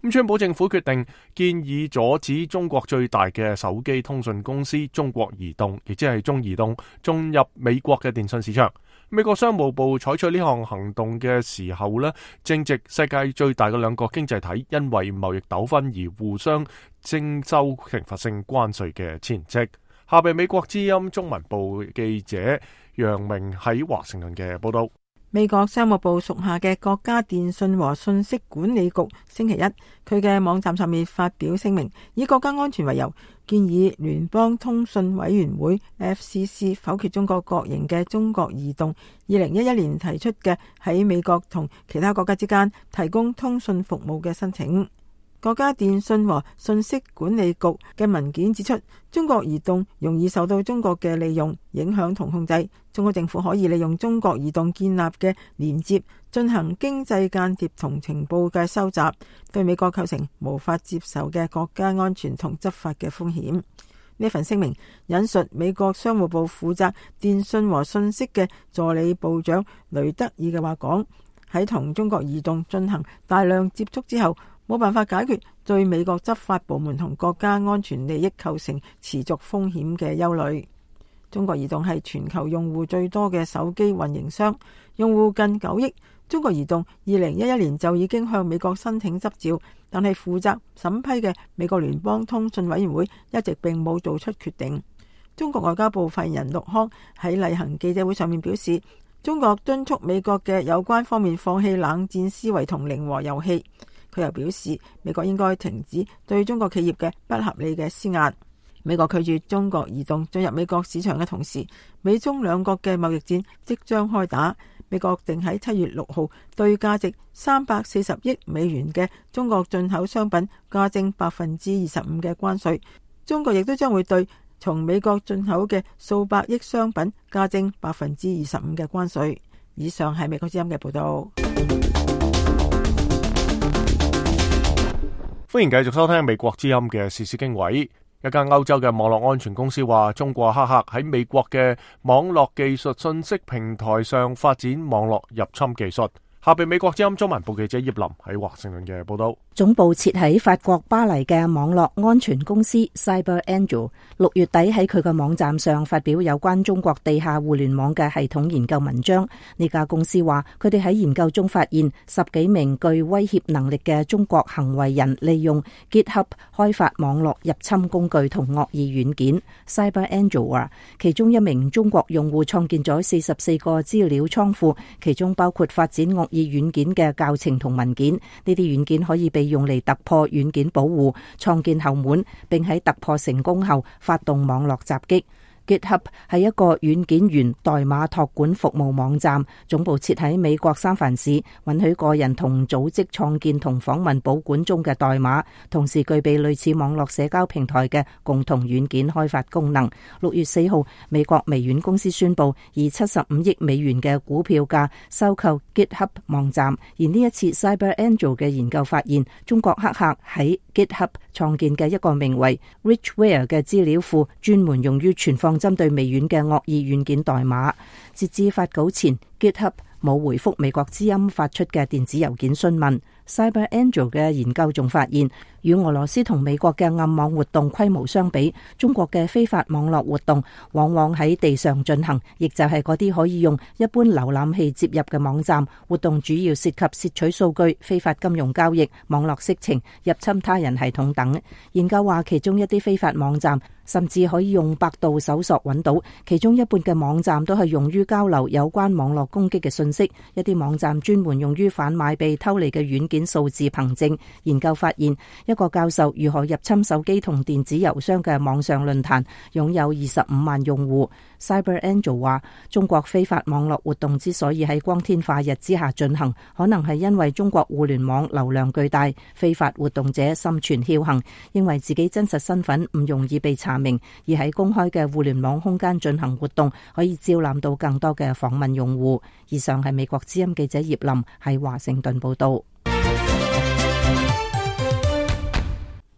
咁川普政府決定建議阻止中國最大嘅手機通訊公司中國移動，亦即係中移動進入美國嘅電信市場。美國商務部採取呢項行動嘅時候呢，正值世界最大嘅兩個經濟體因為貿易糾紛而互相徵收懲罰性關稅嘅前夕。下邊美國之音中文部記者楊明喺華盛頓嘅報道。美國商務部屬下嘅國家電信和信息管理局星期一，佢嘅網站上面發表聲明，以國家安全為由，建議聯邦通訊委員會 F C C 否決中國國營嘅中國移動二零一一年提出嘅喺美國同其他國家之間提供通訊服務嘅申請。國家電信和信息管理局嘅文件指出，中國移動容易受到中國嘅利用、影響同控制。中國政府可以利用中國移動建立嘅連接進行經濟間諜同情報嘅收集，對美國構成無法接受嘅國家安全同執法嘅風險。呢份聲明引述美國商務部負責電信和信息嘅助理部長雷德爾嘅話講，喺同中國移動進行大量接觸之後，冇辦法解決對美國執法部門同國家安全利益構成持續風險嘅憂慮。中國移動係全球用戶最多嘅手機運營商，用戶近九億。中國移動二零一一年就已經向美國申請執照，但係負責審批嘅美國聯邦通訊委員會一直並冇做出決定。中國外交部發言人陸康喺例行記者會上面表示，中國敦促美國嘅有關方面放棄冷戰思維同零和遊戲。佢又表示，美國應該停止對中國企業嘅不合理嘅施壓。美國拒絕中國移動進入美國市場嘅同時，美中兩國嘅貿易戰即將開打。美國定喺七月六號對價值三百四十億美元嘅中國進口商品加徵百分之二十五嘅關稅。中國亦都將會對從美國進口嘅數百億商品加徵百分之二十五嘅關稅。以上係美國之音嘅報道。歡迎繼續收聽美國之音嘅時事經緯。一間歐洲嘅網絡安全公司話，中國黑客喺美國嘅網絡技術信息平台上發展網絡入侵技術。下邊美國之音中文部記者葉林喺華盛頓嘅報道。總部設喺法國巴黎嘅網絡安全公司 CyberAngel 六月底喺佢嘅網站上發表有關中國地下互聯網嘅系統研究文章。呢家公司話，佢哋喺研究中發現十幾名具威脅能力嘅中國行為人利用 GitHub 開發網絡入侵工具同惡意軟件。CyberAngel 話，其中一名中國用戶創建咗四十四個資料倉庫，其中包括發展惡意軟件嘅教程同文件。呢啲軟件可以被用嚟突破軟件保護，創建後門，並喺突破成功後發動網絡襲擊。GitHub 係一個軟件源代碼託管服務網站，總部設喺美國三藩市，允許個人同組織創建同訪問保管中嘅代碼，同時具備類似網絡社交平台嘅共同軟件開發功能。六月四號，美國微軟公司宣布以七十五億美元嘅股票價收購 GitHub 網站，而呢一次 CyberAngel 嘅研究發現，中國黑客喺 GitHub 創建嘅一個名為 Richware 嘅資料庫，專門用於存放針對微軟嘅惡意軟件代碼。截至發稿前， GitHub 冇回覆美國之音發出嘅電子郵件詢問。CyberAngel 嘅研究仲發現，與俄羅斯同美國嘅暗網活動規模相比，中國嘅非法網絡活動往往喺地上進行，亦就係嗰啲可以用一般瀏覽器接入嘅網站。活動主要涉及竊取數據、非法金融交易、網絡色情、入侵他人系統等。研究話，其中一啲非法網站甚至可以用百度搜索揾到，其中一半嘅網站都係用於交流有關網絡攻擊嘅信息。一啲網站專門用於販賣被偷嚟嘅軟件數字憑證。研究發現，一個教授如何入侵手機同電子郵箱嘅網上論壇擁有二十五萬用戶。CyberAngel 話，中國非法網絡活動之所以喺光天化日之下進行，可能係因為中國互聯網流量巨大，非法活動者心存僥倖，認為自己真實身份唔容易被查明，而喺公開嘅互聯網空間進行活動，可以招攬到更多嘅訪問用戶。以上係美國之音記者葉林喺華盛頓報道。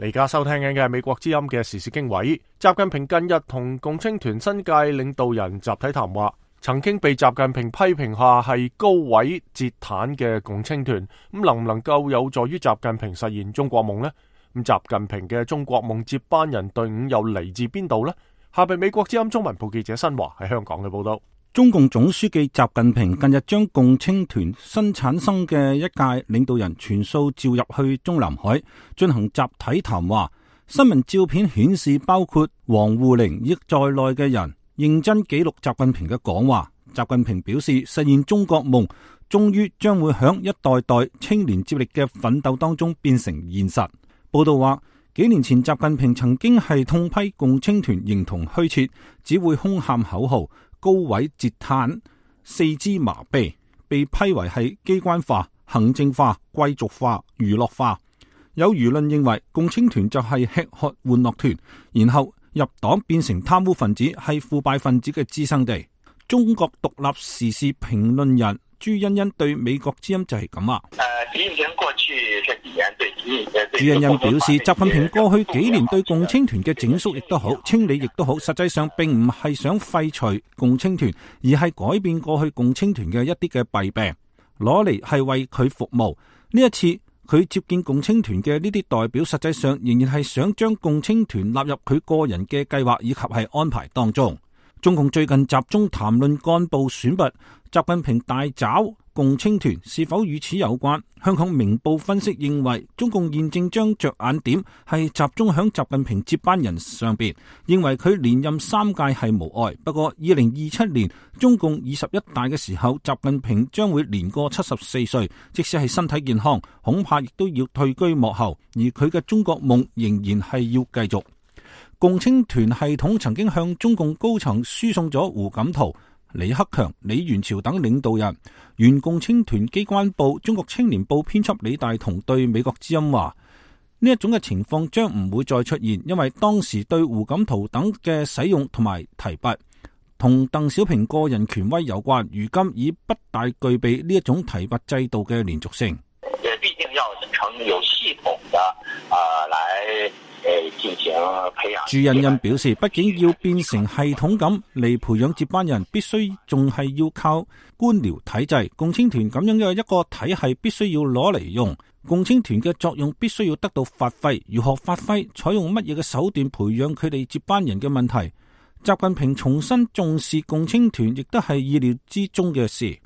你而家收聽緊嘅係美國之音嘅時事經緯。習近平近日同共青團新界領導人集體談話，曾經被習近平批評下係高位截癱嘅共青團，咁能唔能夠有助於習近平實現中國夢呢？咁習近平嘅中國夢接班人隊伍又嚟自邊度呢？下邊美國之音中文部記者新華喺香港嘅報道。中共總書記習近平近日將共青團新產生嘅一屆領導人全數召入去中南海進行集體談話。新聞照片顯示，包括王滬寧亦在內嘅人認真記錄習近平嘅講話。習近平表示，實現中國夢終於將會響一代代青年接力嘅奮鬥當中變成現實。報道話，幾年前習近平曾經係痛批共青團形同虛設，只會空喊口號，高位截癱，四肢麻痹，被批為係機關化、行政化、貴族化、娛樂化。有輿論認為共青團就係吃喝玩樂團，然後入黨變成貪污分子，係腐敗分子嘅滋生地。中國獨立時事評論人朱欣欣對美國之音就係咁話。朱欣欣表示，習近平過去幾年對共青團嘅整肅亦都好，清理亦都好，實際上並唔係想廢除共青團，而係改變過去共青團嘅一啲嘅弊病，攞嚟係為佢服務。呢一次佢接見共青團嘅呢啲代表，實際上仍然係想將共青團納入佢個人嘅計劃以及係安排當中。中共最近集中談論幹部選拔，習近平大抓共青團是否與此有關？香港明報分析認為，中共現正將着眼點係集中響習近平接班人上邊，認為佢連任三屆係無礙。不過二零二七年中共二十一大嘅時候，習近平將會年過七十四歲，即使係身體健康，恐怕亦都要退居幕後，而佢嘅中國夢仍然係要繼續。共青團系統曾經向中共高層輸送咗胡錦濤、李克強、李元朝等領導人。原共青團機關報中國青年報編輯李大同對美國之音話：呢一種嘅情況將唔會再出現，因為當時對胡錦濤等嘅使用同埋提拔，同鄧小平個人權威有關。如今已不大具備呢一種提拔制度嘅連續性。畢竟要成有系統的啊、呃，來。朱欣欣表示，畢竟要變成系統咁嚟培養接班人，必須仲係要靠官僚體制。共青團咁樣嘅一個體系，必須要攞嚟用。共青團嘅作用必須要得到發揮，如何發揮，採用乜嘢嘅手段培養佢哋接班人嘅問題。習近平重新重視共青團，亦都係意料之中嘅事。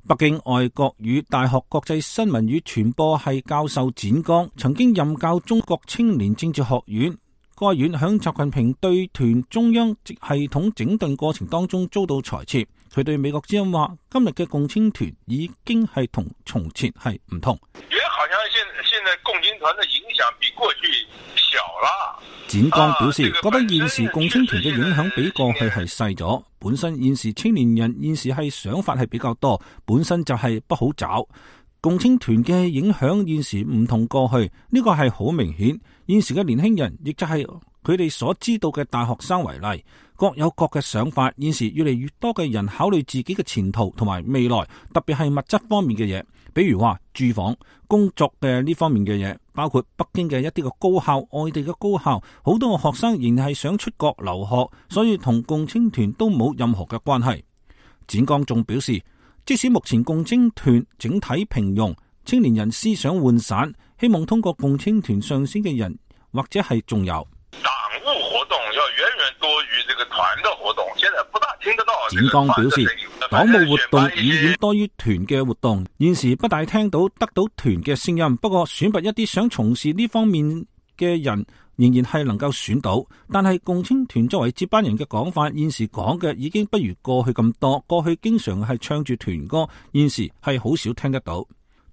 北京外國語大學國際新聞與傳播系教授展剛曾經任教中國青年政治學院，該院響習近平對團中央系統整頓過程當中遭到裁撤。佢對美國之音話：今日嘅共青團已經係同從前係唔同。也好像現現在共青團的影響比過去小小了。展剛表示，覺得現時共青團嘅影響比過去係細咗。本身現時青年人現時係想法係比較多，本身就係不好找。共青團嘅影響現時唔同過去，呢個係好明顯。現時嘅年輕人，亦就係佢哋所知道嘅大學生為例，各有各嘅想法。現時越嚟越多嘅人考慮自己嘅前途同埋未來，特別係物質方面嘅嘢，比如話住房、工作嘅呢方面嘅嘢，包括北京嘅一啲嘅高校、外地嘅高校，好多嘅學生仍然係想出國留學，所以同共青團都冇任何嘅關係。展剛仲表示，即使目前共青團整體平庸，青年人思想渙散，希望通過共青團上升嘅人，或者係仲有黨務活動要遠遠多於這個團的活動，現在不大聽得到。展剛表示，黨務活動遠遠多於團嘅活動，現時不大聽到得到團嘅聲音。不過選拔一啲想從事呢方面嘅人，仍然係能夠選到。但係共青團作為接班人嘅講法，現時講嘅已經不如過去咁多。過去經常係唱住團歌，現時係好少聽得到。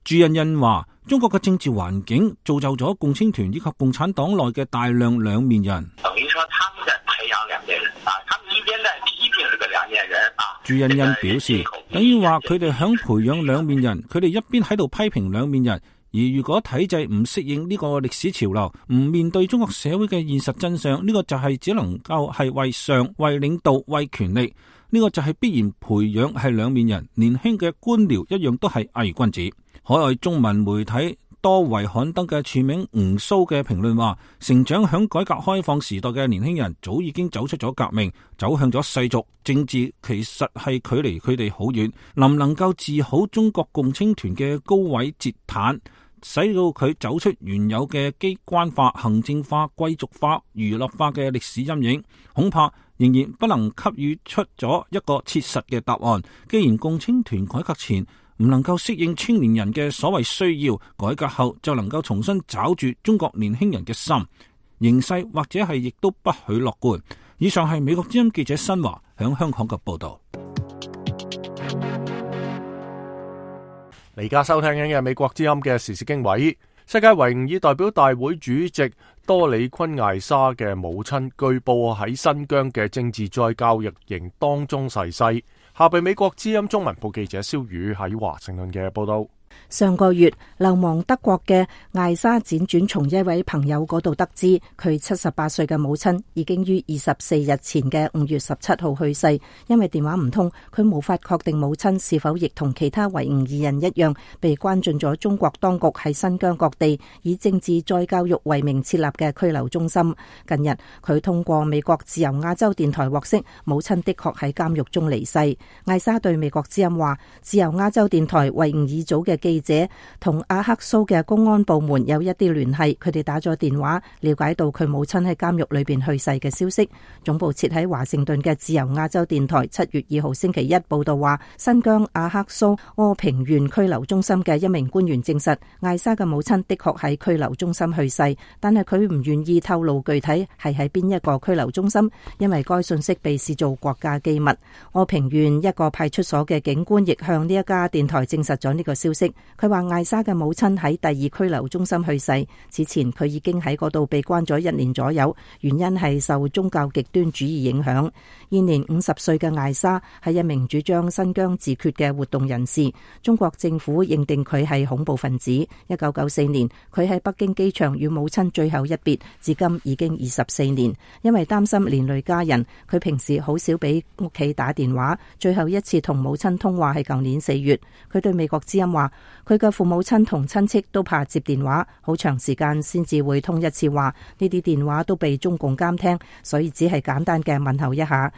朱欣欣話，中國嘅政治環境造就咗共青團以及共產黨內嘅大量兩面人。等於說他們在培養兩面人啊，他們一邊在批評這個兩面人啊。朱欣欣表示，等於話佢哋響培養兩面人，佢哋一邊喺度批評兩面人，而如果體制唔適應呢個歷史潮流，唔面對中國社會嘅現實真相，呢、這個就係只能夠係為上、為領導、為權力，呢、這個就係必然培養係兩面人。年輕嘅官僚一樣都係偽君子。海外中文媒體多維刊登嘅署名吳蘇嘅評論話，成長響改革開放時代嘅年輕人早已經走出咗革命，走向咗世俗政治，其實係距離佢哋好遠。能唔能夠治好中國共青團嘅高位截癱，使到佢走出原有嘅機關化、行政化、貴族化、娛樂化嘅歷史陰影，恐怕仍然不能給予出咗一個切實嘅答案。既然共青團改革前唔能夠適應青年人嘅所謂需要，改革後就能夠重新抓住中國年輕人嘅心，形勢或者係亦都不許樂觀。以上係美國之音記者新華響香港嘅報道。你而家收聽緊嘅美國之音嘅時事經緯，世界維吾爾代表大會主席多里昆艾莎嘅母親據報喺新疆嘅政治再教育營當中逝世。下被美國之音中文部記者蕭宇喺華盛頓嘅報道。上個月流亡德國嘅艾莎輾轉從一位朋友嗰度得知，佢七十八歲嘅母親已經於二十四日前嘅五月十七號去世。因為電話唔通，佢無法確定母親是否亦同其他維吾爾人一樣被關進咗中國當局喺新疆各地以政治再教育為名設立嘅拘留中心。近日佢通過美國自由亞洲電台獲悉，母親的確喺監獄中離世。艾莎對美國之音話，自由亞洲電台維吾爾組嘅記者同阿克蘇嘅公安部門有一啲聯繫，佢哋打咗電話了解到佢母親喺監獄裏邊去世嘅消息。總部設喺華盛頓嘅自由亞洲電台七月二號星期一報道話，新疆阿克蘇柯平縣拘留中心嘅一名官員證實，艾莎嘅母親的確喺拘留中心去世，但係佢唔願意透露具體係喺邊一個拘留中心，因為該信息被視做國家機密。柯平縣一個派出所嘅警官亦向呢一家電台證實咗呢個消息。佢話艾莎嘅母親喺第二拘留中心去世，此前佢已經喺嗰度被關咗一年左右，原因係受宗教極端主義影響。現年五十歲嘅艾莎係一名主張新疆自決嘅活動人士，中國政府認定佢係恐怖分子。一九九四年佢喺北京機場與母親最後一別，至今已經二十四年。因為擔心連累家人，佢平時好少俾屋企打電話，最後一次同母親通話係舊年四月。佢對美國之音話，佢嘅父母親同親戚都怕接電話，好長時間先至會通一次話，呢啲電話都被中共監聽，所以只係簡單嘅問候一下。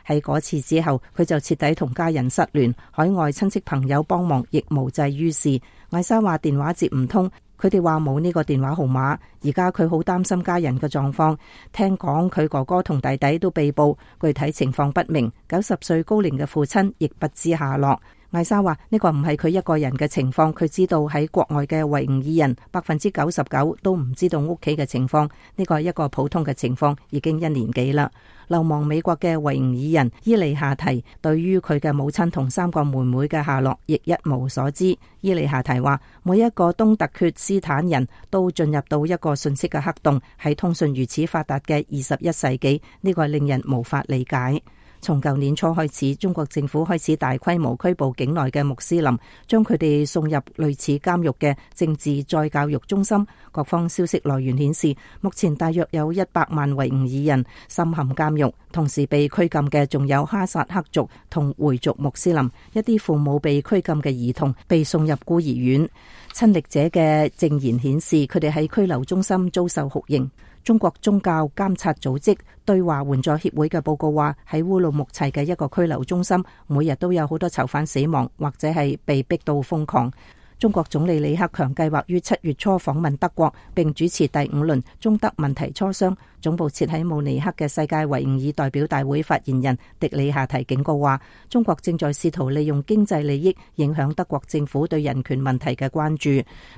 喺嗰次之後，佢就徹底同家人失聯，海外親戚朋友幫忙亦無濟於事。艾莎話電話接唔通，佢哋話冇呢個電話號碼。而家佢好擔心家人嘅狀況，聽講佢哥哥同弟弟都被捕，具體情況不明。九十歲高齡嘅父親亦不知下落。艾莎話呢個唔係佢一個人嘅情況，佢知道喺國外嘅維吾爾人百分之九十九都唔知道屋企嘅情況，呢個係一個普通嘅情況，已經一年幾啦。流亡美國嘅維吾爾人伊利夏提對於佢嘅母親同三個妹妹嘅下落亦一無所知。伊利夏提話每一個東突厥斯坦人都進入到一個信息嘅黑洞，喺通訊如此發達嘅二十一世紀，呢個令人無法理解。從舊年初開始，中國政府開始大規模拘捕境內嘅穆斯林，將佢哋送入類似監獄嘅政治再教育中心。各方消息來源顯示，目前大約有一百萬維吾爾人深陷監獄，同時被拘禁嘅仲有哈薩克族同回族穆斯林。一啲父母被拘禁嘅兒童被送入孤兒院。親歷者嘅證言顯示，佢哋喺拘留中心遭受酷刑。中國宗教監察組織對華援助協會嘅報告話，喺烏魯木齊嘅一個拘留中心，每日都有好多囚犯死亡，或者係被逼到瘋狂。中國總理李克強計劃於七月初訪問德國，並主持第五輪中德問題磋商。總部設喺慕尼黑嘅世界維吾爾代表大會發言人迪里夏提警告話，中國正在試圖利用經濟利益影響德國政府對人權問題嘅關注。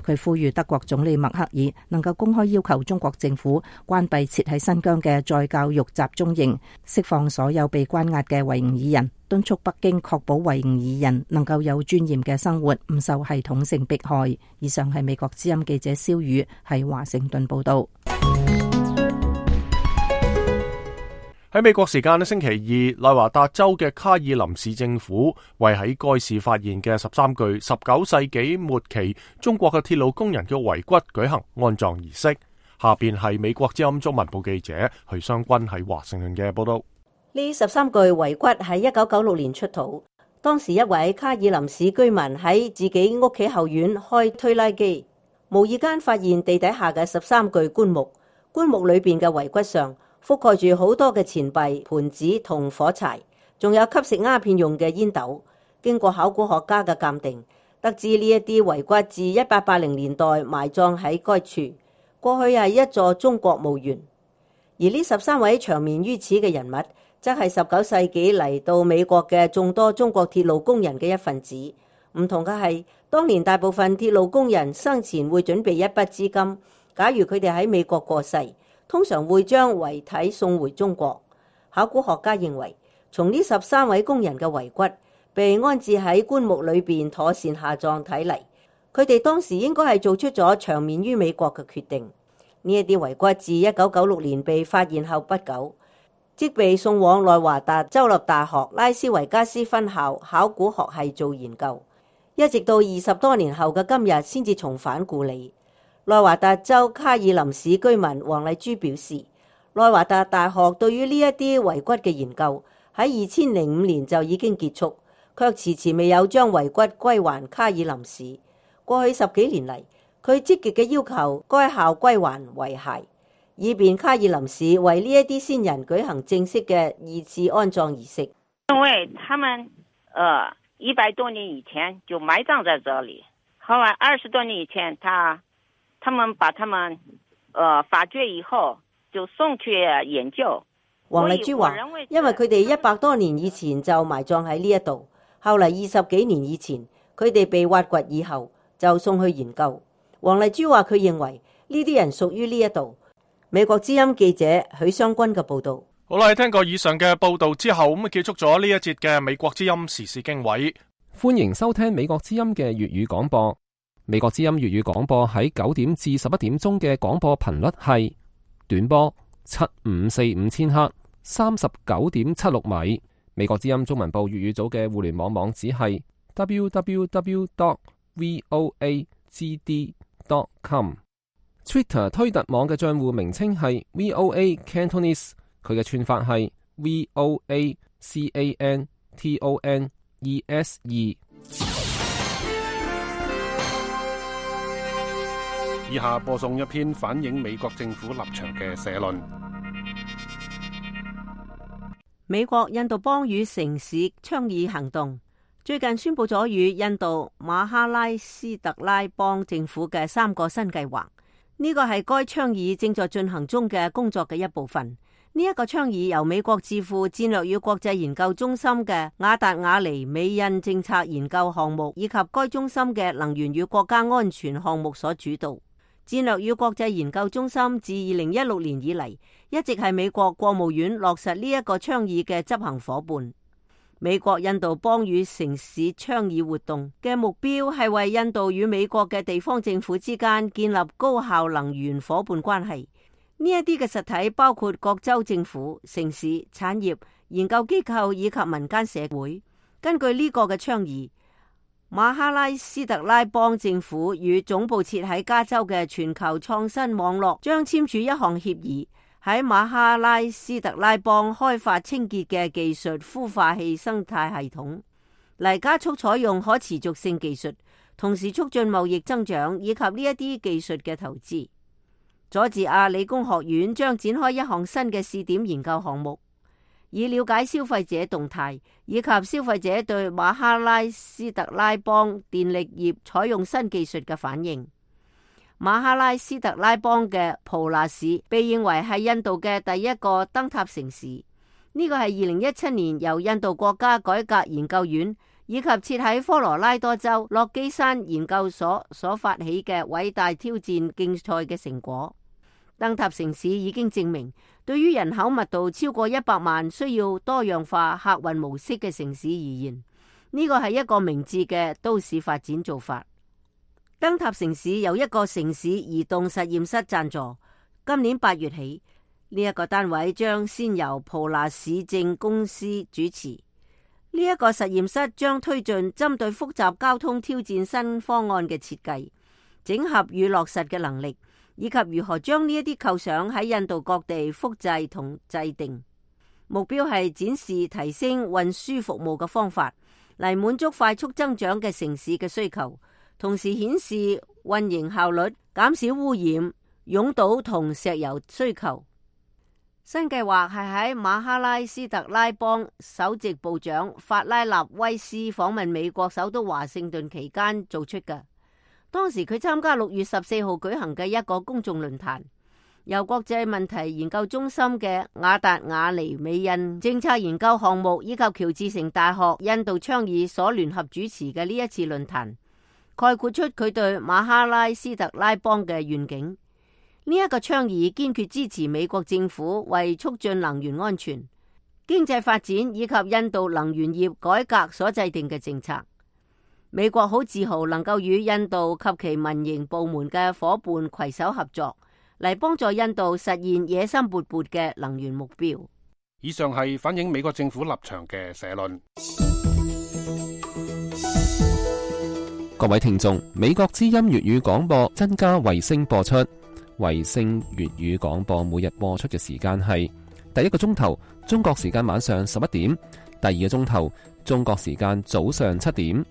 佢呼籲德國總理默克爾能夠公開要求中國政府關閉設喺新疆嘅再教育集中營，釋放所有被關押嘅維吾爾人，敦促北京確保維吾爾人能夠有尊嚴嘅生活，唔受系統性迫害。以上係美國之音記者蕭宇喺華盛頓報道。喺美國時間星期二，內華達州嘅卡爾林市政府為喺該市發現嘅十三具十九世紀末期中國嘅鐵路工人嘅遺骨舉行安葬儀式。下邊係美國之音中文部記者許湘君喺華盛頓嘅報道。呢十三具遺骨喺一九九六年出土，當時一位卡爾林市居民喺自己屋企後院開推拉機，無意間發現地底下嘅十三具棺木，棺木裏邊嘅遺骨上覆蓋住好多嘅錢幣、盤子同火柴，仲有吸食鴉片用嘅煙斗。經過考古學家嘅鑑定，得知呢一啲遺骨自一八八零年代埋葬喺該處，過去係一座中國墓園。而呢十三位長眠於此嘅人物，則係十九世紀嚟到美國嘅眾多中國鐵路工人嘅一份子。唔同嘅係，當年大部分鐵路工人生前會準備一筆資金，假如佢哋喺美國過世，通常會將遺體送回中國。考古學家認為，從呢十三位工人嘅遺骨被安置喺棺木裏邊妥善下葬睇嚟，佢哋當時應該係做出咗長眠於美國嘅決定。呢一啲遺骨自一九九六年被發現後不久，即被送往內華達州立大學拉斯維加斯分校考古學系做研究，一直到二十多年後嘅今日先至重返故里。內華達州卡爾林市居民黃麗珠表示，內華達大學對於呢一啲遺骨嘅研究喺二千零五年就已經結束，卻遲遲未有將遺骨歸還卡爾林市。過去十幾年嚟，佢積極嘅要求該校歸還遺骸，以便卡爾林市為呢一啲先人舉行正式嘅二次安葬儀式。因為他們呃一百多年以前就埋葬在這裡，後來二十多年以前他他們把他們呃發掘以後就送去研究。黃麗珠話，因為佢哋一百多年以前就埋葬喺呢一度，後嚟二十幾年以前佢哋被挖掘以後就送去研究。黃麗珠話佢認為呢啲人屬於呢一度。美國之音記者許湘君嘅報道。好啦，聽過以上嘅報道之後，咁啊結束咗呢一節嘅美國之音時事經緯。歡迎收聽美國之音嘅粵語廣播。美國之音粵語廣播喺九點至十一點鐘嘅廣播頻率係短波七五四五千赫，三十九點七六米。美國之音中文部粵語組嘅互聯網網址係 double-u double-u double-u dot voa g d dot com。Twitter 推特網嘅賬戶名稱係 V O A Cantonese， 佢嘅串法係 V O A C A N T O N E S E。以下播送一篇反映美國政府立場嘅社論。美國印度邦與城市倡議行動最近宣布咗與印度馬哈拉斯特拉邦政府嘅三個新計劃。呢個係該倡議正在進行中嘅工作嘅一部分。呢一個倡議由美國智庫戰略與國際研究中心嘅亞達雅尼美印政策研究項目以及該中心嘅能源與國家安全項目所主導。戰略與國際研究中心自二零一六年以嚟，一直係美國國務院落實呢一個倡議嘅執行夥伴。美國印度邦與城市倡議活動嘅目標係為印度與美國嘅地方政府之間建立高效能源夥伴關係。呢一啲嘅實體包括各州政府、城市、產業、研究機構以及民間社會。根據呢個嘅倡議，馬哈拉斯特拉邦政府與總部設喺加州嘅全球創新網絡將簽署一項協議，喺馬哈拉斯特拉邦開發清潔嘅技術孵化器生態系統，嚟加速採用可持續性技術，同時促進貿易增長以及呢一啲技術嘅投資。佐治亞理工學院將展開一項新嘅試點研究項目，以了解消費者動態以及消費者對馬哈拉斯特拉邦電力業採用新技術嘅反應。馬哈拉斯特拉邦嘅普納市被認為係印度嘅第一個燈塔城市，呢個係二零一七年由印度國家改革研究院以及設喺科羅拉多州洛基山研究所所發起嘅偉大挑戰競賽嘅成果。燈塔城市已經證明，對於人口密度超過一百萬、需要多樣化客運模式嘅城市而言，呢個係一個明智嘅都市發展做法。燈塔城市由一個城市移動實驗室贊助，今年八月起，呢、這、一個單位將先由普納市政公司主持。呢、這、一個實驗室將推進針對複雜交通挑戰新方案嘅設計、整合與落實嘅能力，以及如何將呢一啲構想喺印度各地複製同制定。目標係展示提升運輸服務嘅方法，嚟滿足快速增長嘅城市嘅需求，同時顯示運營效率，減少污染、擁堵同石油需求。新計劃係喺馬哈拉斯特拉邦首席部長法拉納威斯訪問美國首都華盛頓期間做出嘅。當時佢參加六月十四號舉行嘅一個公眾論壇，由國際問題研究中心嘅亞達雅尼美印政策研究項目以及喬治城大學印度倡議所聯合主持嘅呢一次論壇，概括出佢對馬哈拉斯特拉邦嘅願景。呢、這、一個倡議堅決支持美國政府為促進能源安全、經濟發展以及印度能源業改革所制定嘅政策。美國好自豪能夠與印度及其民營部門嘅伙伴攜手合作，嚟幫助印度實現野心勃勃嘅能源目標。以上係反映美國政府立場嘅社論。各位聽眾，美國之音粵語廣播增加衛星播出，衛星粵語廣播每日播出嘅時間係第一個鐘頭中國時間晚上十一點，第二個鐘頭中國時間早上七點。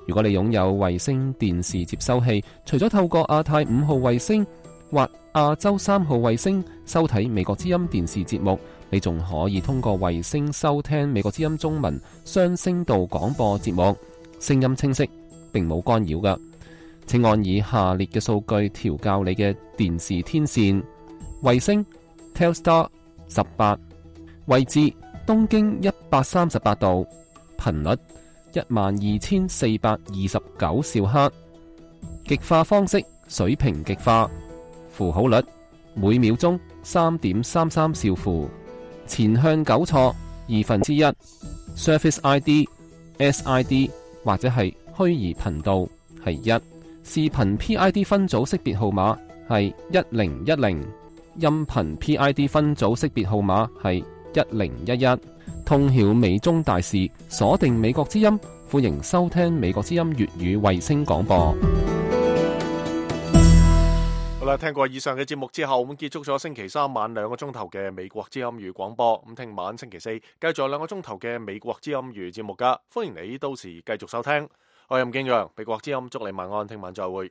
如果你擁有衛星電視接收器，除咗透過亞太五號衛星或亞洲三號衛星收睇美國之音電視節目，你仲可以通過衛星收聽美國之音中文雙聲道廣播節目，聲音清晰，並冇干擾㗎。請按以下列嘅數據調校你嘅電視天線：衛星 Telstar 十八，位置東經一百三十八度，頻率一萬二千四百二十九兆赫，極化方式水平極化，符號率每秒鐘三點三三兆符，前向糾錯二分之一 ，Surface I D、S I D 或者係虛擬頻道係一，視頻 P I D 分組識別號碼係一零一零，音頻 P I D 分組識別號碼係一零一一。通曉美中大事，鎖定美國之音，歡迎收聽美國之音粵語衛星廣播。好啦，聽過以上嘅節目之後，咁結束咗星期三晚兩個鐘頭嘅美國之音粵語廣播。咁聽晚星期四繼續有兩個鐘頭嘅美國之音粵語節目噶，歡迎你到時繼續收聽。我係任敬陽，美國之音祝你晚安，聽晚再會。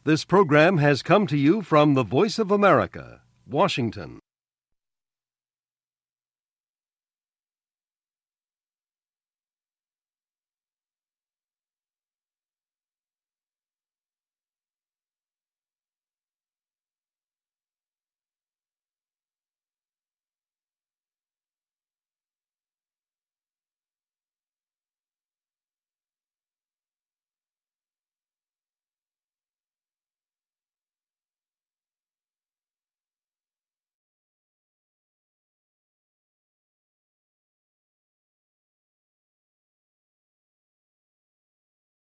This program has come to you from the Voice of America, Washington.